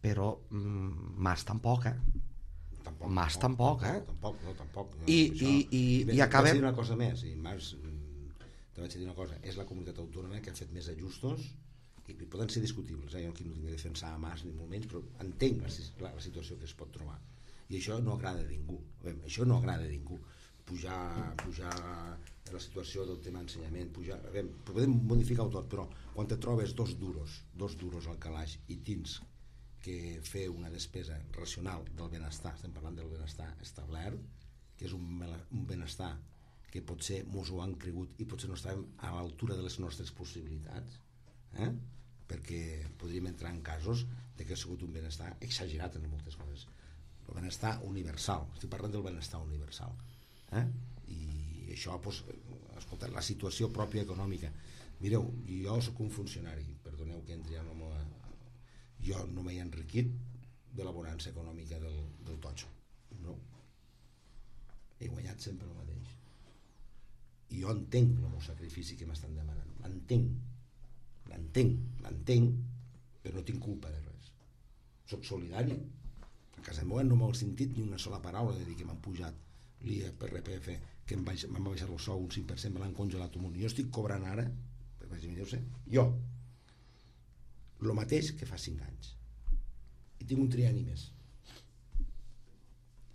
[SPEAKER 4] Però Mas tampoc, Mas tampoc,
[SPEAKER 3] Tampoc.
[SPEAKER 4] I acabem...
[SPEAKER 3] Vaig dir una cosa més, i Mas, te vaig dir una cosa, és la comunitat autònoma que ha fet més ajustos, i poden ser discutibles, jo aquí no tinc de defensar a Mas ni molt menys, però entenc la situació que es pot trobar, i això no agrada a ningú. Pujar la situació del tema ensenyament, podem modificar-ho tot, però quan te trobes dos duros al calaix i tens que fer una despesa racional del benestar, estem parlant del benestar establert, que és un benestar que potser mos ho han cregut i potser no estàvem a l'altura de les nostres possibilitats, perquè podríem entrar en casos de que ha sigut un benestar exagerat en moltes coses. El benestar universal, estic parlant del benestar universal, i això, escolta, la situació pròpia econòmica. Mireu, jo soc un funcionari, perdoneu que entri en la meva... Jo no m'he enriquit de la bonança econòmica del totxo, no. He guanyat sempre el mateix. I jo entenc el meu sacrifici que m'estan demanant, l'entenc, però no tinc culpa de res. Soc solidari. A casa meva no m'ho he sentit ni una sola paraula de dir que m'han pujat l'IRPF, que m'han baixat el sou un 5%, me l'han congelat un munt. Jo estic cobrant ara, jo, el mateix que fa 5 anys. I tinc un trienni més.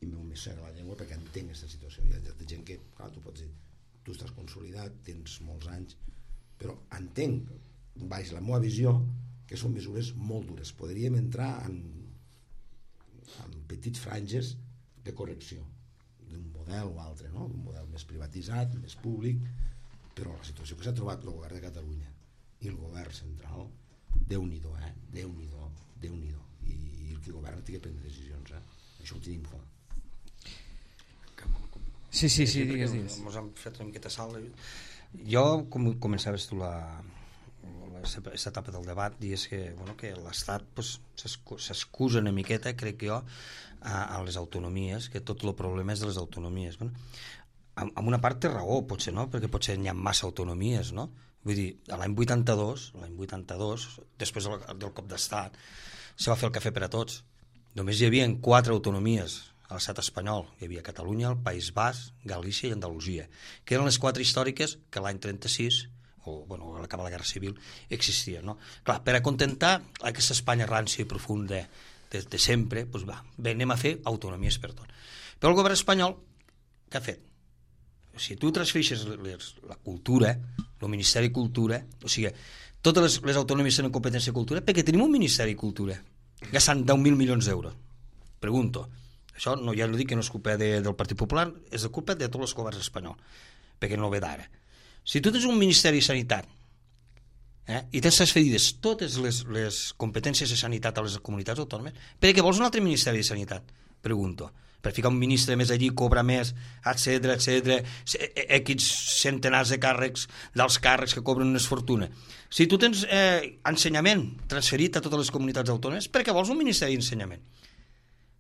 [SPEAKER 3] I m'ho més la llengua perquè entenc aquesta situació. Hi ha gent que, clar, tu pots dir, tu estàs consolidat, tens molts anys, però entenc, baix la meva visió, que són mesures molt dures. Podríem entrar en petits franges de correcció d'un model o altre, no? Un model més privatitzat, més públic, però la situació que s'ha trobat el govern de Catalunya i el govern central, Déu-n'hi-do, Déu-n'hi-do. I el que governa té que prendre decisions, això ho tenim clar.
[SPEAKER 1] Sí, digues.
[SPEAKER 2] Ens hem fet una miqueta salt. Jo, com començaves tu aquesta etapa del debat, dius que l'Estat s'excusa una miqueta, crec jo, a les autonomies, que tot el problema és de les autonomies. En una part té raó, potser no, perquè potser n'hi ha massa autonomies, no? Vull dir, l'any 82, després del cop d'estat, se va fer el cafè per a tots. Només hi havia 4 autonomies a l'estat espanyol. Hi havia Catalunya, el País Basc, Galícia i Andalusia, que eren les 4 històriques que l'any 36, o a l'acabar la Guerra Civil, existien. No? Clar, per acontentar aquesta Espanya rància i profunda de sempre, doncs anem a fer autonomies per tot. Però el govern espanyol, què ha fet? Si tu transfereixes la cultura, el Ministeri de Cultura, o sigui, totes les autonomies tenen competència de cultura? Perquè tenim un Ministeri de Cultura, gastant 10.000 milions d'euros. Pregunto. Això no, ja no dic que no és culpa del Partit Popular, és de culpa de tots els governs espanyols, perquè no ve d'ara. Si tu tens un Ministeri de Sanitat i tens transferides totes les competències de sanitat a les comunitats autònomes, per què vols un altre Ministeri de Sanitat? Pregunto. Per ficar un ministre més allí, cobra més, etc, X centenars de càrrecs, dels càrrecs que cobren unes fortunes. Si tu tens ensenyament transferit a totes les comunitats autònomes, per què vols un Ministeri d'Ensenyament?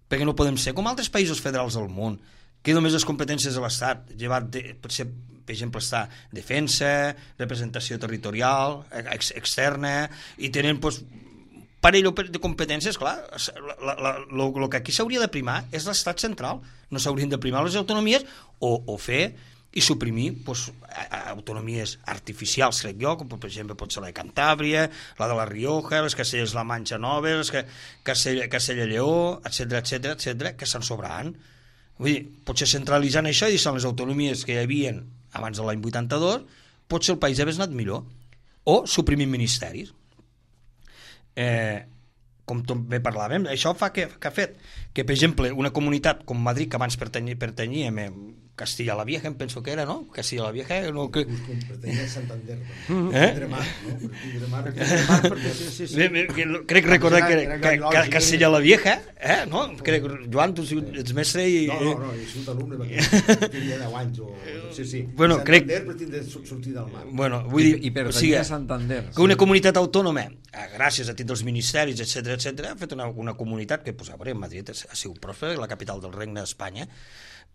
[SPEAKER 2] Perquè no podem ser com altres països federals del món, que només les competències de l'Estat, llevat per exemple, està defensa, representació territorial, externa, i tenen parell de competències, clar, el que aquí s'hauria de primar és l'Estat central, no s'haurien de primar les autonomies o fer i suprimir autonomies artificials, crec jo, com per exemple pot ser la de Cantàbria, la de la Rioja, les Castelles-La Manxa Noves, Castella-Lleó, etc, que se'n sobraran. Vull dir, potser centralitzant això i deixant les autonomies que hi havia abans de l'any 82, potser el país hagués anat millor. O suprimir ministeris. Com també parlàvem, això fa que ha fet que, per exemple, una comunitat com Madrid, que abans pertanyia a Castilla la Vieja, em penso que era, no? Castilla la Vieja, no?
[SPEAKER 3] Pertanyia a Santander.
[SPEAKER 2] Crec recordar que Castilla la Vieja, no? Crec, Joan, tu ets mestre i...
[SPEAKER 3] No, és un alumne, perquè tenia 10 anys o... Sí. Santander pretén sortir del mar.
[SPEAKER 2] Bueno, vull dir,
[SPEAKER 1] i pertanyia a Santander.
[SPEAKER 2] Que una comunitat autònoma, gràcies a títol dels ministeris, etc, ha fet una comunitat que, a veure, Madrid ha sigut pròspera, la capital del Regne d'Espanya,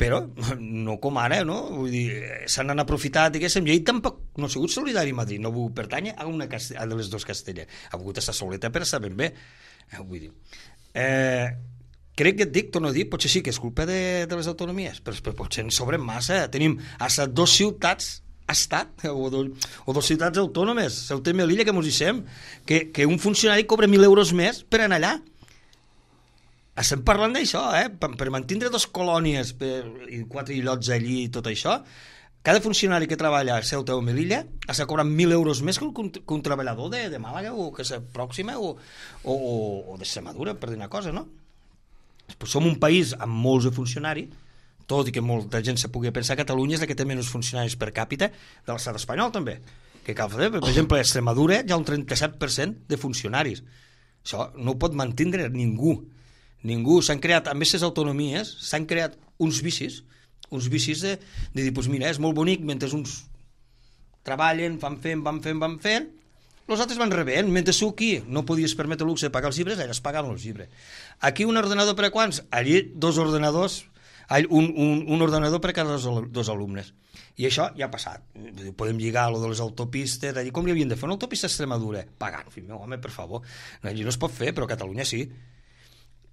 [SPEAKER 2] però no com ara, no? Vull dir, se n'han aprofitat, diguéssim, i ell tampoc no ha sigut solidari a Madrid, no ha volgut pertànyer a una de les dues Castelles, ha volgut estar soleta per estar ben bé, vull dir. Crec que et dic, torno a dir, potser sí que és culpa de les autonomies, però potser en sobren massa, tenim hasta 2 ciutats estat o 2 ciutats autònomes, Ceuta i Melilla, que mos dissem que un funcionari cobra 1.000 euros més per anar allà. Estem parlant d'això, per mantenir 2 colònies i 4 illots allí i tot això, cada funcionari que treballa a Ceuta o Melilla està cobrant 1.000 euros més que un treballador de Màlaga o que és pròxima o d'Extremadura, per dir una cosa, no? Pues som un país amb molts de funcionaris, tot i que molta gent se pugui pensar que Catalunya és la que té menys funcionaris per càpita de l'estat espanyol també, que cal fer, per exemple a Extremadura hi ha un 37% de funcionaris, això no ho pot mantenir ningú, s'han creat, a més les autonomies s'han creat uns vicis de dir, doncs mira, és molt bonic mentre uns treballen, van fent els altres van rebent, mentre tu aquí no podies permetre el luxe de pagar els llibres, allà es pagaven els llibres. Aquí un ordenador per a quants? Allí 2 ordenadors, un ordenador per a cada 2 alumnes. I això ja ha passat. Podem lligar a lo de les autopistes, allí com li havien de fer una autopista a Extremadura? Pagant, fill meu, home, per favor. Allí no es pot fer, però a Catalunya sí.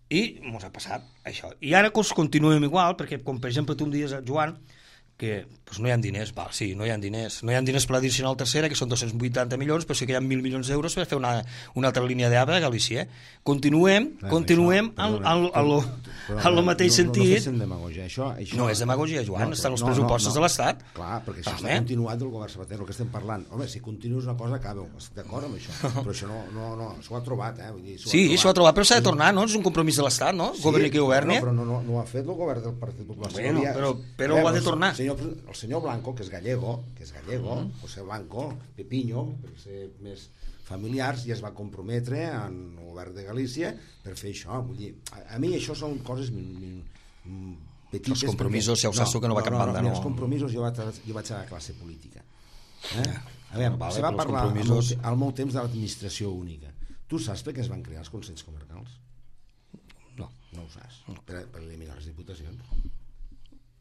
[SPEAKER 2] I ens ha passat això. I ara continuem igual, perquè com per exemple tu em dius, Joan, que pues, no hi ha diners, sí, no hi ha diners per l'addicional tercera, que són 280 milions, però sí que hi ha 1.000 milions d'euros per fer una altra línia d'AVE a Galícia. Continuem en el mateix sentit.
[SPEAKER 3] No féssim demagogia. Això
[SPEAKER 2] no és demagogia, Joan, estan els pressupostos de l'Estat.
[SPEAKER 3] Clar, perquè això està continuat del govern Zapatero, el que estem parlant. Home, si continues una cosa, acabeu. Estic d'acord amb això. Però això no, s'ho ha trobat.
[SPEAKER 2] Sí, s'ho ha trobat, però s'ha de tornar, no? És un compromís de l'Estat, no? Governi qui governi.
[SPEAKER 3] Però no ho ha fet el govern del Partit Popular.
[SPEAKER 2] Bueno, però ho ha de tornar.
[SPEAKER 3] El senyor Blanco, que és gallego, José Blanco, Pepiño, per ser més familiars, ja es va comprometre en el govern de Galícia per fer això. Vull dir, a mi això són coses petites.
[SPEAKER 2] Els compromisos, ja ho saps tu que no va cap banda, no?
[SPEAKER 3] Els compromisos jo vaig a la classe política. A veure, se va parlar al meu temps de l'administració única. Tu saps per què es van crear els consells comarcals?
[SPEAKER 2] No
[SPEAKER 3] ho saps. Per eliminar les diputacions.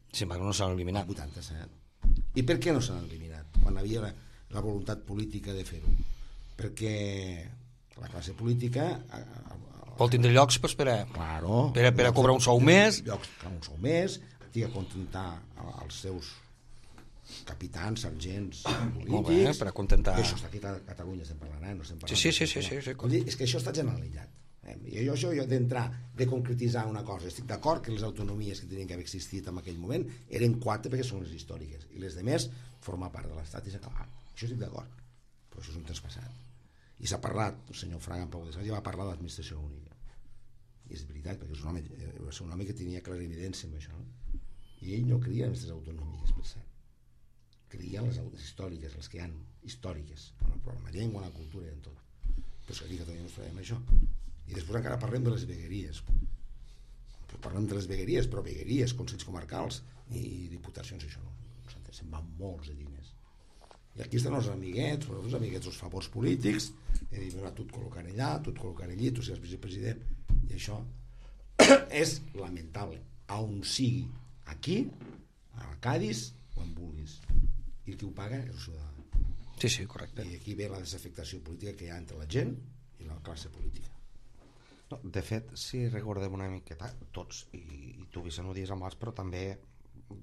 [SPEAKER 2] Sin embargo, no s'han eliminat.
[SPEAKER 3] 87. I per què no s'han eliminat? Quan havia la voluntat política de fer-ho. Perquè la classe política...
[SPEAKER 2] Vol tindre llocs per a cobrar un sou més.
[SPEAKER 3] Llocs per un sou més, tinc a contentar els seus capitans, sergents polítics...
[SPEAKER 2] Molt bé, per a contentar...
[SPEAKER 3] I això està aquí a Catalunya, estem parlant, no estem parlant...
[SPEAKER 2] Sí.
[SPEAKER 3] És que això està generalitzat. Jo d'entrar, de concretitzar una cosa, estic d'acord que les autonomies que tenien que haver existit en aquell moment eren 4 perquè són les històriques i les de més formar part de l'Estat i s'acabar. Això estic d'acord, però això és un traspassat. I s'ha parlat, el senyor Fraga en Pau de Sants ja va parlar d'administració única. I és veritat, perquè va ser un home que tenia clarividència amb això, no? I ell no creia en aquestes autonòmiques, per cert. Creia en les històriques, les que hi ha històriques, en la llengua, en la cultura i en tot. Però és que aquí a Catalunya no ens farem això. I després encara parlem de les vegueries. Parlem de les vegueries, però vegueries, consells comarcals i diputacions, això no. Se'n van molts de diners. I aquí estan els amiguets, els amiguets, els favors polítics, i diuen, tu et col·locaré allà, tu et col·locaré allí, tu seràs vicepresident, i això és lamentable, a on sigui, aquí, a Cádiz o on vulguis. I qui ho paga és el ciutadà.
[SPEAKER 2] Sí, correcte.
[SPEAKER 3] I aquí ve la desafectació política que hi ha entre la gent i la classe política.
[SPEAKER 4] No, de fet, si recordem una miqueta, tots, i tu Vicent ho dius amb els, però també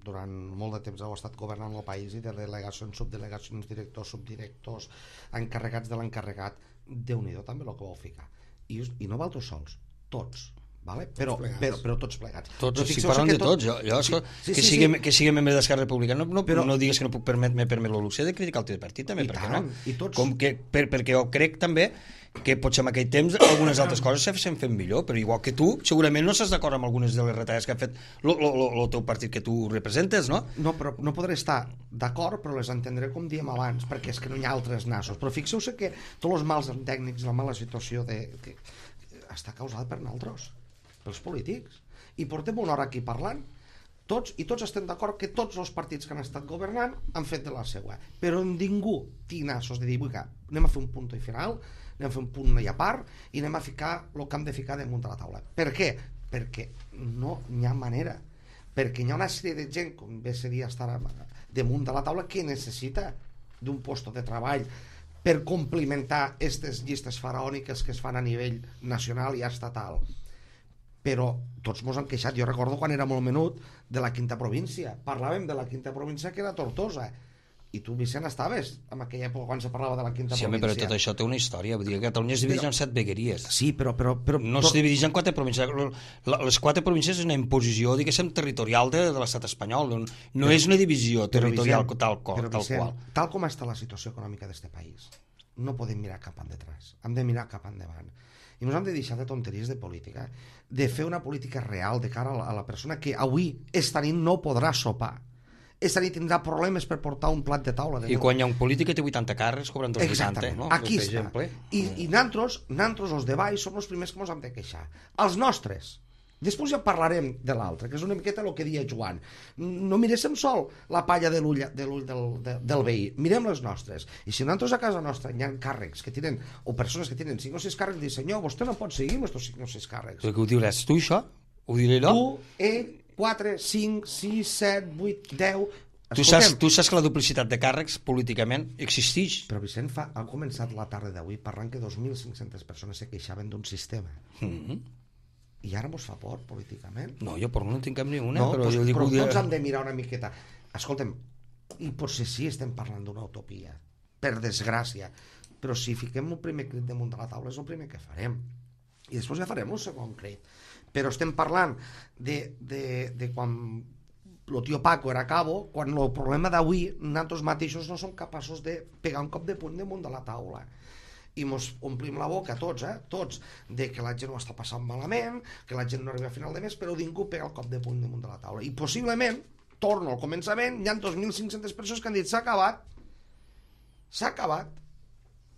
[SPEAKER 4] durant molt de temps heu estat governant el país i de delegacions, subdelegacions, directors, subdirectors, encarregats de l'encarregat, Déu-n'hi-do també el que vau ficar. I no valtros sols, tots, vale? Però tots plegats.
[SPEAKER 2] Tots, si parlem de tots, que siguem membres d'Esquerra Republicana, no digues que no puc permetre el luxe de criticar el teu partit també, perquè no? Perquè jo crec també que potser en aquell temps algunes altres coses s'han fet millor, però igual que tu, segurament no estàs d'acord amb algunes de les retalles que ha fet el teu partit que tu representes, no?
[SPEAKER 4] No, però no podré estar d'acord, però les entendré com diem abans, perquè és que no hi ha altres nassos. Però fixeu-se que tots els mals tècnics, la mala situació està causada per nosaltres, pels polítics. I portem una hora aquí parlant, tots estem d'acord que tots els partits que han estat governant han fet de la seva, però ningú té nassos de dir, anem a fer un punt i final, anem a fer un punt i a part i anem a ficar el que hem de ficar damunt de la taula. Per què? Perquè no hi ha manera, perquè hi ha una sèrie de gent, com bé seria estar damunt de la taula, que necessita d'un lloc de treball per complimentar aquestes llistes faraòniques que es fan a nivell nacional i estatal. Però tots mos han queixat. Jo recordo quan era molt menut de la quinta província, parlàvem de la quinta província que era Tortosa, i tu, Vicent, estaves en aquella època quan se parlava de la quinta província.
[SPEAKER 2] Sí, però tot això té una història. Vull dir que Catalunya es divideix en 7 vegueries.
[SPEAKER 4] Sí, però
[SPEAKER 2] no es divideix en 4 províncies. Les 4 províncies és una imposició, diguéssim, territorial de l'estat espanyol. No és una divisió territorial tal qual.
[SPEAKER 4] Tal com està la situació econòmica d'aquest país, no podem mirar cap endavant. Hem de mirar cap endavant. I ens hem de deixar de tonteries de política, de fer una política real de cara a la persona que avui esta nit no podrà sopar. Esta nit tindrà problemes per portar un plat de taula.
[SPEAKER 2] I quan hi ha un polític que té 80 càrrecs, cobren 280, no?
[SPEAKER 4] Aquí està. I nosaltres, els de baix, som els primers que ens hem de queixar. Els nostres. Després ja parlarem de l'altre, que és una miqueta el que deia Joan. No miréssim sol la palla de l'ull del veí, mirem les nostres. I si nosaltres a casa nostra hi ha càrrecs que tenen, o persones que tenen 5 o 6 càrrecs, diuen, senyor, vostè no pot seguir amb aquests 5 o 6 càrrecs.
[SPEAKER 2] Però què ho diuràs tu, això? Ho diré jo?
[SPEAKER 4] Tu, ell, 4, 5, 6, 7, 8, 10...
[SPEAKER 2] Tu saps que la duplicitat de càrrecs políticament existeix.
[SPEAKER 4] Però Vicent ha començat la tarda d'avui parlant que 2.500 persones se queixaven d'un sistema. I ara mos fa por políticament.
[SPEAKER 2] No, jo por no en tinc cap ni una.
[SPEAKER 4] No, però tots hem de mirar una miqueta. Escolta'm, i potser sí estem parlant d'una utopia, per desgràcia, però si fiquem un primer crit damunt de la taula és el primer que farem. I després ja farem un segon crit. Però estem parlant de quan el tio Paco era cabo, quan el problema d'avui nosaltres mateixos no som capaços de pegar un cop de puny damunt de la taula i mos omplim la boca tots, de que la gent ho està passant malament, que la gent no arriba a final de mes, però ningú pega el cop de puny damunt de la taula. I possiblement, torno al començament, hi ha 2.500 persones que han dit s'ha acabat.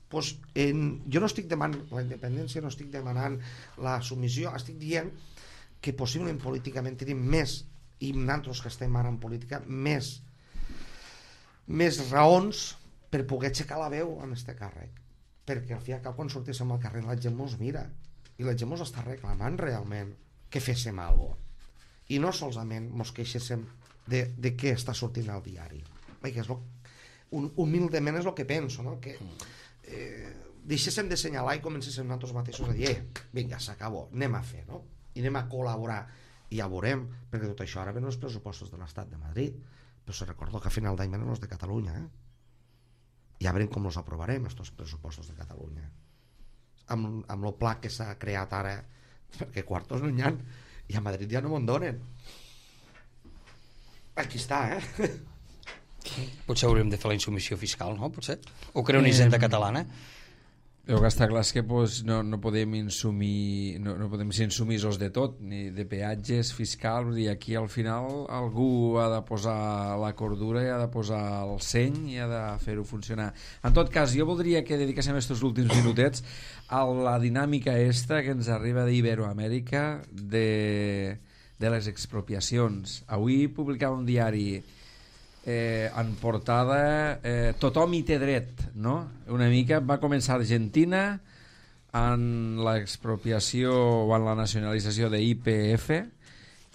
[SPEAKER 4] Pues, jo no estic demanant la independència, no estic demanant la submissió, estic dient que possiblement políticament tenim més, i nosaltres que estem ara en política, més raons per poder aixecar la veu en este càrrec, perquè al fi i al cap quan sortíssim al carrer la gent mos mira i la gent mos està reclamant realment que féssim alguna cosa, i no solament mos queixéssim de què està sortint al diari, perquè és humilment és el que penso, no? Que deixéssim de assenyalar i comencéssim nosaltres mateixos a dir vinga, s'acabó, anem a fer, no? I anem a col·laborar, i ja veurem, perquè tot això ara venen els pressupostos de l'Estat de Madrid, però se recordo que a final d'any venen els de Catalunya, ja veurem com els aprovarem, aquests pressupostos de Catalunya, amb el pla que s'ha creat ara, perquè quartos no n'hi ha, i a Madrid ja no me'n donen. Aquí està,
[SPEAKER 2] Potser hauríem de fer la insubmissió fiscal, no? Potser? O crear una hisenda catalana?
[SPEAKER 1] El que està clar és que pues, no podem ser insumisos de tot, ni de peatges, fiscal, vull dir, aquí al final algú ha de posar la cordura i ha de posar el seny i ha de fer-ho funcionar. En tot cas, jo voldria que dediquéssim aquests últims minutets a la dinàmica esta que ens arriba d'Iberoamèrica de les expropiacions. Avui publicava un diari en portada tothom hi té dret, no? Una mica va començar Argentina en l'expropiació o en la nacionalització de YPF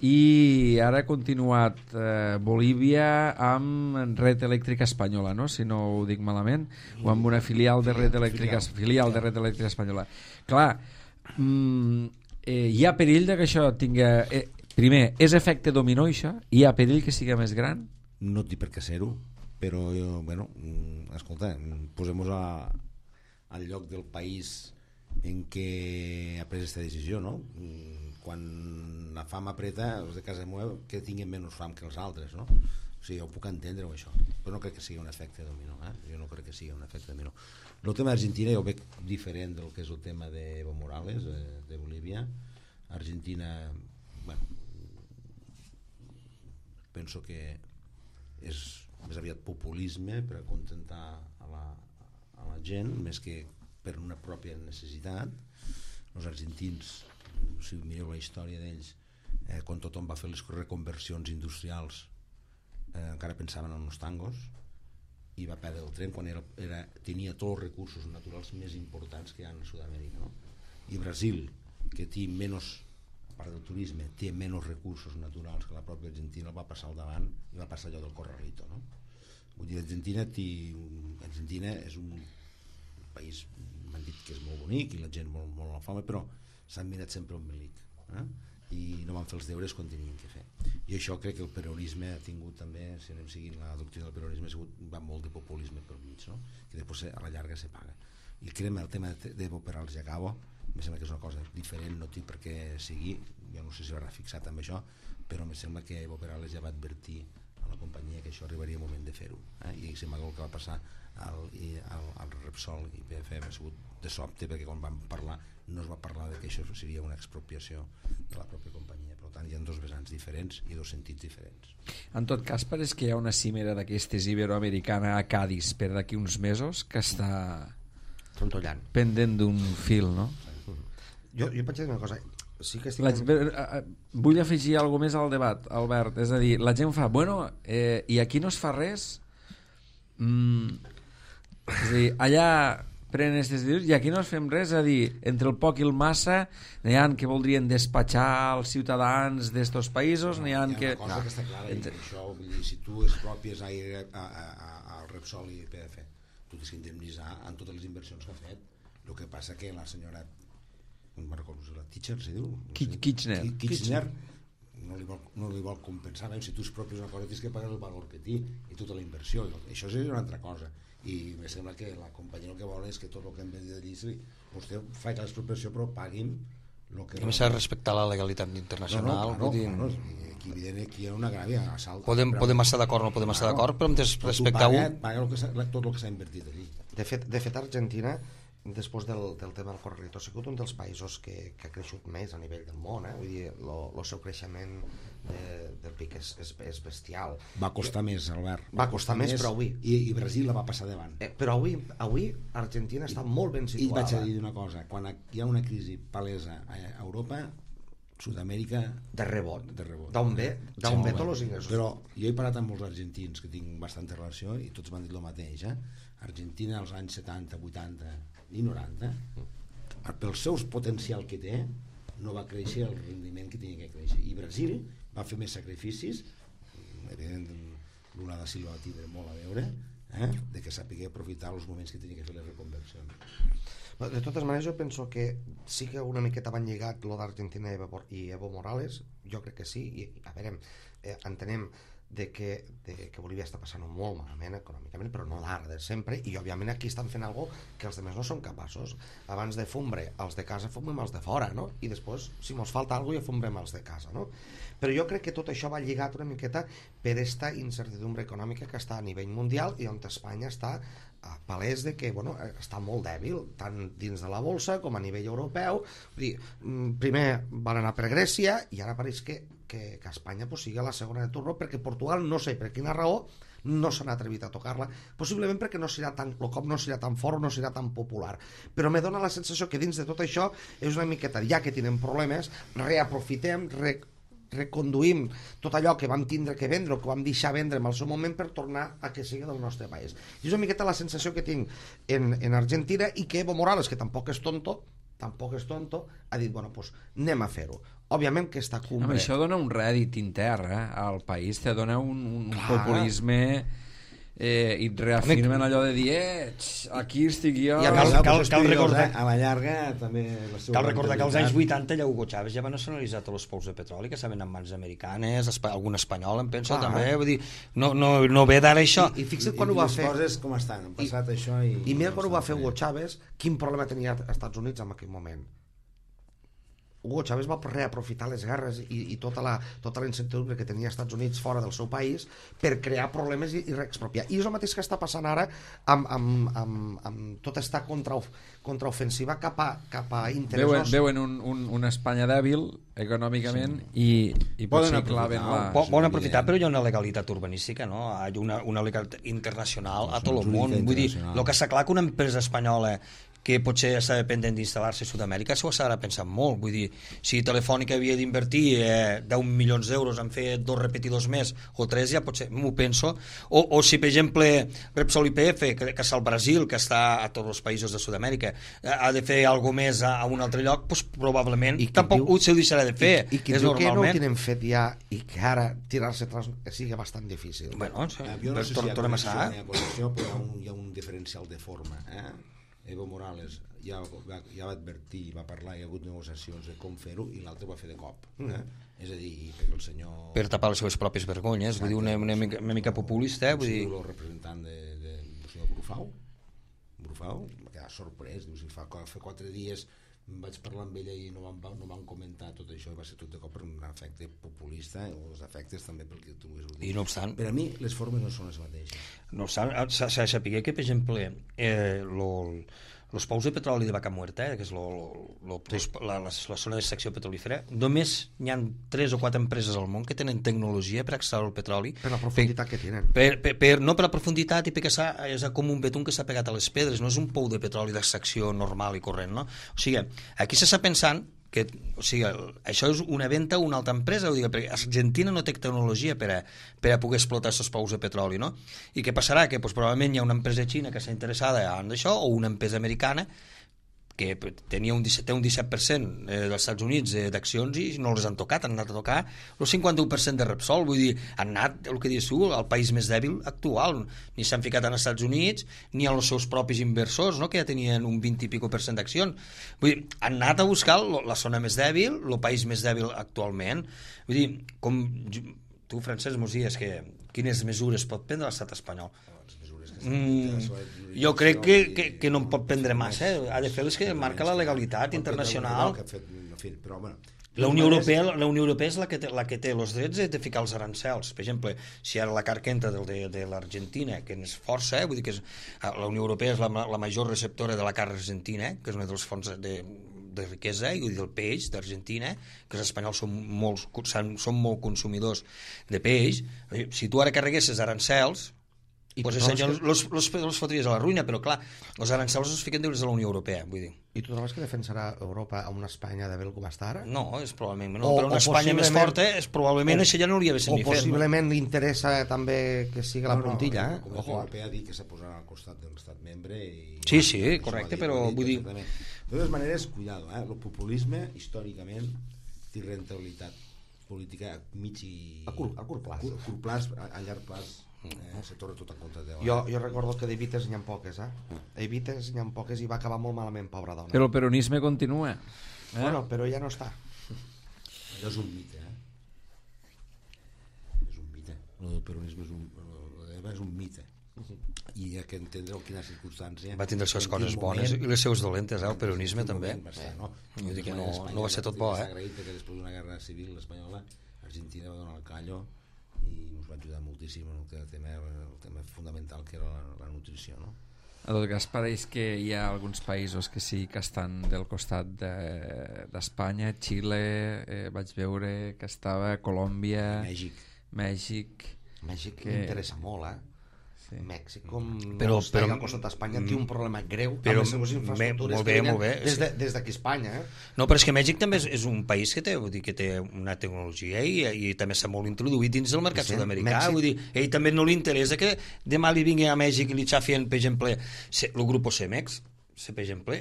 [SPEAKER 1] i ara ha continuat Bolívia amb Red Eléctrica Espanyola, no? Si no ho dic malament, o amb una filial de Red Eléctrica Espanyola. Clar, hi ha perill de que això tinga... primer, és efecte dominó això? Hi ha perill que siga més gran?
[SPEAKER 3] No té per què ser-ho, però bueno, escolta, posem-nos al lloc del país en què ha pres aquesta decisió, no? Quan la fam apreta, els de casa meva que tinguin menys fam que els altres, no? O sigui, jo puc entendre això, però no crec que sigui un efecte dominó, jo no crec que sigui un efecte dominó. El tema d'Argentina jo ho veig diferent del que és el tema d'Evo Morales, de Bolívia. Argentina, bueno, penso que és més aviat populisme per acontentar a la gent més que per una pròpia necessitat. Els argentins, si mireu la història d'ells, quan tothom va fer les reconversions industrials encara pensaven en els tangos i va perdre el tren quan tenia tots els recursos naturals més importants que hi ha a Sud-amèrica, no? I Brasil, que té menys, a part del turisme, té menys recursos naturals que la pròpia Argentina, el va passar al davant i va passar allò del Corralito, no? Vull dir, Argentina és un país, m'han dit que és molt bonic i la gent molt la fama, però s'han mirat sempre un melic, i no van fer els deures quan tenien que fer. I això crec que el peronisme ha tingut també, si anem seguint la doctrina del peronisme, va molt de populisme per mig, no? Que després a la llarga se paga. I crema el tema d'Evo Perales i Acabo, em sembla que és una cosa diferent, no té per què seguir, jo no sé si l'haurà fixat amb això, però em sembla que Evo Perales ja va advertir a la companyia que això arribaria el moment de fer-ho, i sembla que el que va passar al Repsol i PF ha sigut de sobte, perquè quan vam parlar no es va parlar de que això seria una expropiació de la pròpia companyia. Per tant, hi ha dos vessants diferents i dos sentits diferents.
[SPEAKER 1] En tot cas, pareix que hi ha una cimera d'aquestes iberoamericana a Cádiz per d'aquí uns mesos que està pendent d'un fil, no?
[SPEAKER 4] Jo vaig dir una cosa, sí que
[SPEAKER 1] vull afegir alguna més al debat, Albert, és a dir, la gent fa, bueno, i aquí no es fa res, és a dir, allà prenen aquestes decisions i aquí no es fem res, és a dir, entre el poc i el massa n'hi ha que voldrien despatxar els ciutadans d'estos països, n'hi ha que...
[SPEAKER 3] Hi ha una cosa que està clara, i això, vull dir, si tu expropies al Repsol i PF, tu tens que indemnitzar en totes les inversions que ha fet. El que passa que la senyora, no me'n recordo, la Teacher, se diu? Kirchner no li vol compensar. Si tu expropies una cosa tens que pagar el valor que té i tota la inversió. Això és una altra cosa. I em sembla que la companyia el que vol és que tot el que hem de dir, vostè fa l'expropiació però pagui'm el que...
[SPEAKER 2] Només s'ha de respectar la legalitat internacional.
[SPEAKER 3] Aquí evident que hi ha una gràvia assalt.
[SPEAKER 2] Podem estar d'acord o no podem estar d'acord, però hem de respectar-ho.
[SPEAKER 3] Paga tot el que s'ha invertit allí.
[SPEAKER 4] De fet, Argentina, després del tema del Corralito, ha sigut un dels països que ha creixut més a nivell del món, vull dir, el seu creixement del PIB és bestial.
[SPEAKER 3] Va costar més, Albert.
[SPEAKER 4] Va costar més, però avui...
[SPEAKER 3] I Brasil la va passar davant.
[SPEAKER 4] Però avui Argentina està molt ben situada.
[SPEAKER 3] I vaig a dir una cosa, quan hi ha una crisi palesa a Europa, Sud-amèrica...
[SPEAKER 4] De rebot. D'on ve tots els ingressos.
[SPEAKER 3] Però jo he parlat amb molts argentins que tinc bastanta relació i tots m'han dit el mateix. Argentina als anys 70, 80 i 90, pel seu potencial que té, no va créixer el rendiment que tenia que créixer. I Brasil va fer més sacrificis, evidentment Lula da Silva va tindre molt a veure, de que sapigué aprofitar els moments que tenia que fer les reconversions.
[SPEAKER 4] De totes maneres, jo penso que sí que una miqueta van lligat lo d'Argentina i Evo Morales, jo crec que sí, i a veure, entenem que Bolívia està passant molt malament econòmicament, però no d'ara, de sempre, i òbviament aquí estan fent algo que els altres no són capaços. Abans de fumbre els de casa, fumbrem els de fora, no? I després, si ens falta alguna cosa, ja fumbrem els de casa, no? Però jo crec que tot això va lligat una miqueta per esta incertidumbre econòmica que està a nivell mundial i on Espanya està palès de que està molt dèbil, tant dins de la bolsa com a nivell europeu. Vull dir, primer van anar per Grècia i ara pareix que Espanya sigui la segona de turno, perquè Portugal, no sé per quina raó, no s'han atrevit a tocar-la, possiblement perquè el cop no serà tan fort, no serà tan popular, però me dona la sensació que dins de tot això és una miqueta, ja que tenen problemes, reaprofitem, reconduïm tot allò que vam tindre que vendre o que vam deixar vendre en el seu moment per tornar a que sigui del nostre país. I és una miqueta la sensació que tinc en Argentina, i que Evo Morales, que tampoc és tonto, ha dit, pues anem a fer-ho. Òbviament que està cumbre...
[SPEAKER 1] Home, això dona un rèdit intern al país, te dona un populisme... i et reafirmen allò de dir aquí estic jo...
[SPEAKER 2] Cal recordar
[SPEAKER 3] a la llarga també...
[SPEAKER 2] Cal recordar que als anys 80 ja Hugo Chávez ja va nacionalitzar tots els pous de petroli que estaven en mans americanes, algun espanyol em penso també, vull dir, no ve d'ara això.
[SPEAKER 4] I fixa't quan ho va fer...
[SPEAKER 3] Les coses com estan, han passat això i...
[SPEAKER 4] I mira quan ho va fer Hugo Chávez, quin problema tenia als Estats Units en aquell moment. Hugo Chávez va reaprofitar les guerres i tota la incertidumbre que tenia als Estats Units fora del seu país per crear problemes i reexpropiar. I és el mateix que està passant ara amb tota aquesta contraofensiva cap a interessos.
[SPEAKER 1] Veuen una Espanya dèbil econòmicament i potser claven la...
[SPEAKER 2] Poden aprofitar, però hi ha una legalitat urbanística, no? Hi ha una legalitat internacional a tot el món. Vull dir, el que està clar que una empresa espanyola que potser està dependent d'instal·lar-se a Sud-amèrica s'ho estarà pensant molt. Vull dir, si Telefònica havia d'invertir 10 milions d'euros en fer 2 repetidors més o 3, ja potser m'ho penso. O si, per exemple, Repsol YPF, que està al Brasil, que està a tots els països de Sud-amèrica, ha de fer alguna més a un altre lloc, doncs probablement tampoc se ho deixarà de fer.
[SPEAKER 4] I qui diu que no ho tenen fet ja i que ara tirar-se atrás sigui bastant difícil.
[SPEAKER 2] Bueno,
[SPEAKER 3] jo no sé si hi ha connexió, però hi ha un diferencial de forma, Evo Morales ja va advertir, va parlar, hi ha hagut negociacions de com fer-ho i l'altre ho va fer de cop. És a dir, perquè el senyor...
[SPEAKER 2] Per tapar les seves pròpies vergonyes, vull dir, una mica populista, vull dir...
[SPEAKER 3] El representant del senyor Brufau, va quedar sorprès, diu, fa 4 dies vaig parlar amb ella i no van comentar tot això, va ser tot de cop per un efecte populista, o els efectes també pel que tu ho dius.
[SPEAKER 2] I no obstant...
[SPEAKER 3] Per a mi les formes no són les mateixes.
[SPEAKER 2] No obstant, s'ha de saber que, per exemple, els pous de petroli de Vaca Muerta, que és la zona d'extracció petrolífera, només hi ha 3 o 4 empreses al món que tenen tecnologia per extraure el petroli.
[SPEAKER 4] Per la profunditat que tenen.
[SPEAKER 2] No per la profunditat i perquè és com un betún que s'ha pegat a les pedres, no és un pou de petroli d'extracció normal i corrent, no? O sigui, aquí s'està pensant que, o sigui, això és una venda a una altra empresa, ho dic, perquè Argentina no té tecnologia per a poder explotar aquests pous de petroli, no? I què passarà? Que probablement hi ha una empresa xina que està interessada en això, o una empresa americana que té un 17% dels Estats Units d'accions i no les han tocat, han anat a tocar el 51% de Repsol, vull dir, han anat, el que dius tu, al país més dèbil actual, ni s'han ficat en els Estats Units ni als seus propis inversors, no? Que ja tenien un 20 i pico % d'accions, vull dir, han anat a buscar la zona més dèbil, el país més dèbil actualment, vull dir, com tu, Francesc, mos dius que quines mesures pot prendre l'estat espanyol? Jo crec que no en pot prendre massa, ha de fer les que marca la legalitat internacional. La Unió Europea és la que té els drets de ficar els arancels. Per exemple, si ara la carn que entra de l'Argentina, que és força, vull dir que la Unió Europea és la major receptora de la carn argentina, que és una dels fonts de riquesa, i del peix d'Argentina, que els espanyols són molt consumidors de peix. Si tu ara carreguessis arancels, pues los fotries a la ruïna, però clar, els arancels es fiquen des de la Unió Europea, vull dir.
[SPEAKER 4] I tu trobes que defensarà Europa a una Espanya dèbil com està ara?
[SPEAKER 2] No, és probablement no, però una Espanya més forta probablement això ja no hauria de ser ni fer.
[SPEAKER 4] O possiblement li interessa també que sigui la puntilla,
[SPEAKER 3] La Unió Europea ha dit que s'ha posat al costat de l'estat membre i...
[SPEAKER 2] Sí, correcte, però vull dir...
[SPEAKER 3] De totes maneres, cuidado, el populisme històricament té rentabilitat política a mig i...
[SPEAKER 4] A curt plaç.
[SPEAKER 3] A llarg plaç. Se torna tot en contra de...
[SPEAKER 4] Jo recordo que d'Evites n'hi ha poques, Evites n'hi ha poques i va acabar molt malament, pobra dona.
[SPEAKER 1] Però el peronisme continua.
[SPEAKER 4] Bueno, però ja no està.
[SPEAKER 3] Allò és un mite, És un mite. el peronisme és un mite i hi ha que entendre en quina circumstància
[SPEAKER 2] va tindre les seves coses bones i les seves dolentes, el peronisme també vull dir que no va ser tot bo
[SPEAKER 3] s'ha agraït que després d'una guerra civil espanyola Argentina va donar el callo i ens va ajudar moltíssim en el tema fundamental que era la nutrició, no?
[SPEAKER 1] En tot cas, pareix que hi ha alguns països que sí que estan del costat d'Espanya, Xile, vaig veure que estava Colòmbia, Mèxic
[SPEAKER 4] que interessa molt, Sí. Mèxic, com
[SPEAKER 2] però
[SPEAKER 4] al costat d'Espanya, té un problema greu amb les seves infraestructures que venen des d'aquí a Espanya.
[SPEAKER 2] No, però és que Mèxic també és un país que té una tecnologia i també s'ha molt introduït dins del mercat sud-americà. Vull dir, ell també no li interessa que demà li vingui a Mèxic i li xafien, per exemple, el grup Cemex, per exemple,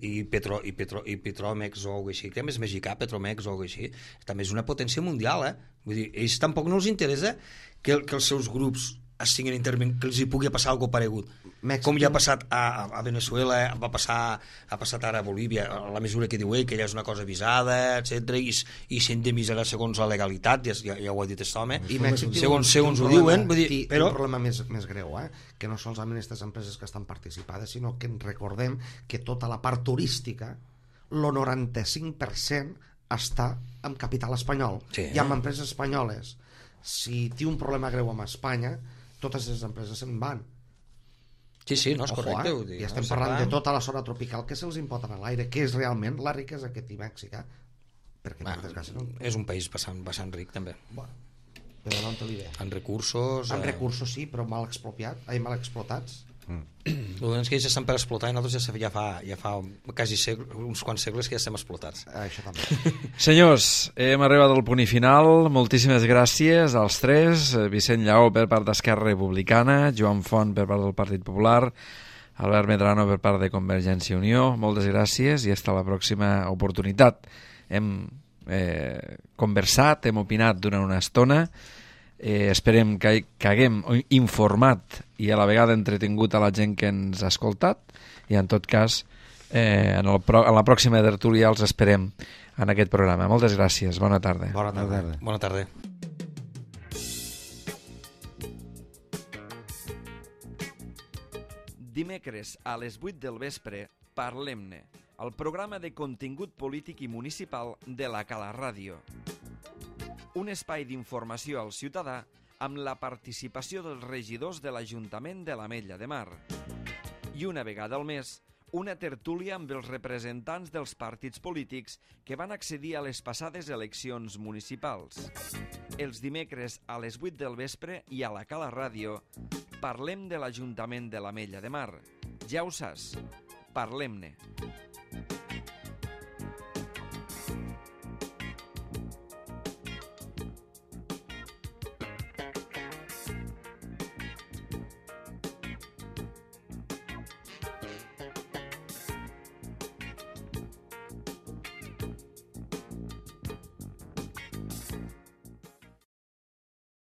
[SPEAKER 2] i Petromex o alguna així, que és mexicà, Petromex o alguna així, també és una potència mundial, Vull dir, ells tampoc no els interessa que els seus grups estiguin intervenint, que els hi pugui passar alguna paregut. Com ja ha passat a Venezuela, ha passat ara a Bolívia, a la mesura que diu ell, que ja és una cosa avisada, etc i s'indemnitzarà segons la legalitat, ja ho ha dit aquest home,
[SPEAKER 4] i Mèxic
[SPEAKER 2] segons ho diuen,
[SPEAKER 4] però un problema més greu, que no solament aquestes empreses que estan participades, sinó que ens recordem que tota la part turística, el 95% està amb capital espanyol, i amb empreses espanyoles. Si té un problema greu amb Espanya, totes les empreses se'n van.
[SPEAKER 2] Sí, no és correcte.
[SPEAKER 4] I estem parlant de tota la zona tropical que se'ls impoten a l'aire, que és realment la riquesa que té Mèxic. Perquè
[SPEAKER 2] és un país bastant ric també.
[SPEAKER 4] Però no en té l'idea.
[SPEAKER 2] En recursos...
[SPEAKER 4] En recursos sí, però mal explotats.
[SPEAKER 2] Els que ells estan per explotar i nosaltres ja fa quasi uns quants segles que ja estem explotats.
[SPEAKER 4] Això també.
[SPEAKER 1] Senyors, hem arribat al punt i final. Moltíssimes gràcies als tres. Vicent Lleó per part d'Esquerra Republicana, Joan Font per part del Partit Popular, Albert Medrano per part de Convergència i Unió. Moltes gràcies i fins la pròxima oportunitat. Hem conversat, hem opinat durant una estona. Esperem que haguem informat i a la vegada entretingut a la gent que ens ha escoltat i en tot cas en la pròxima tertúlia els esperem en aquest programa. Moltes gràcies, bona tarda.
[SPEAKER 2] Bona tarda.
[SPEAKER 1] Dimecres a les 8 del vespre Parlem-ne, el programa de contingut polític i municipal de la Cala Ràdio. Un espai d'informació al ciutadà amb la participació dels regidors de l'Ajuntament de l'Ametlla de Mar. I una vegada al mes, una tertúlia amb els representants dels partits polítics que van accedir a les passades eleccions municipals. Els dimecres a les 8 del vespre i a la Cala Ràdio parlem de l'Ajuntament de l'Ametlla de Mar. Ja ho saps, parlem-ne.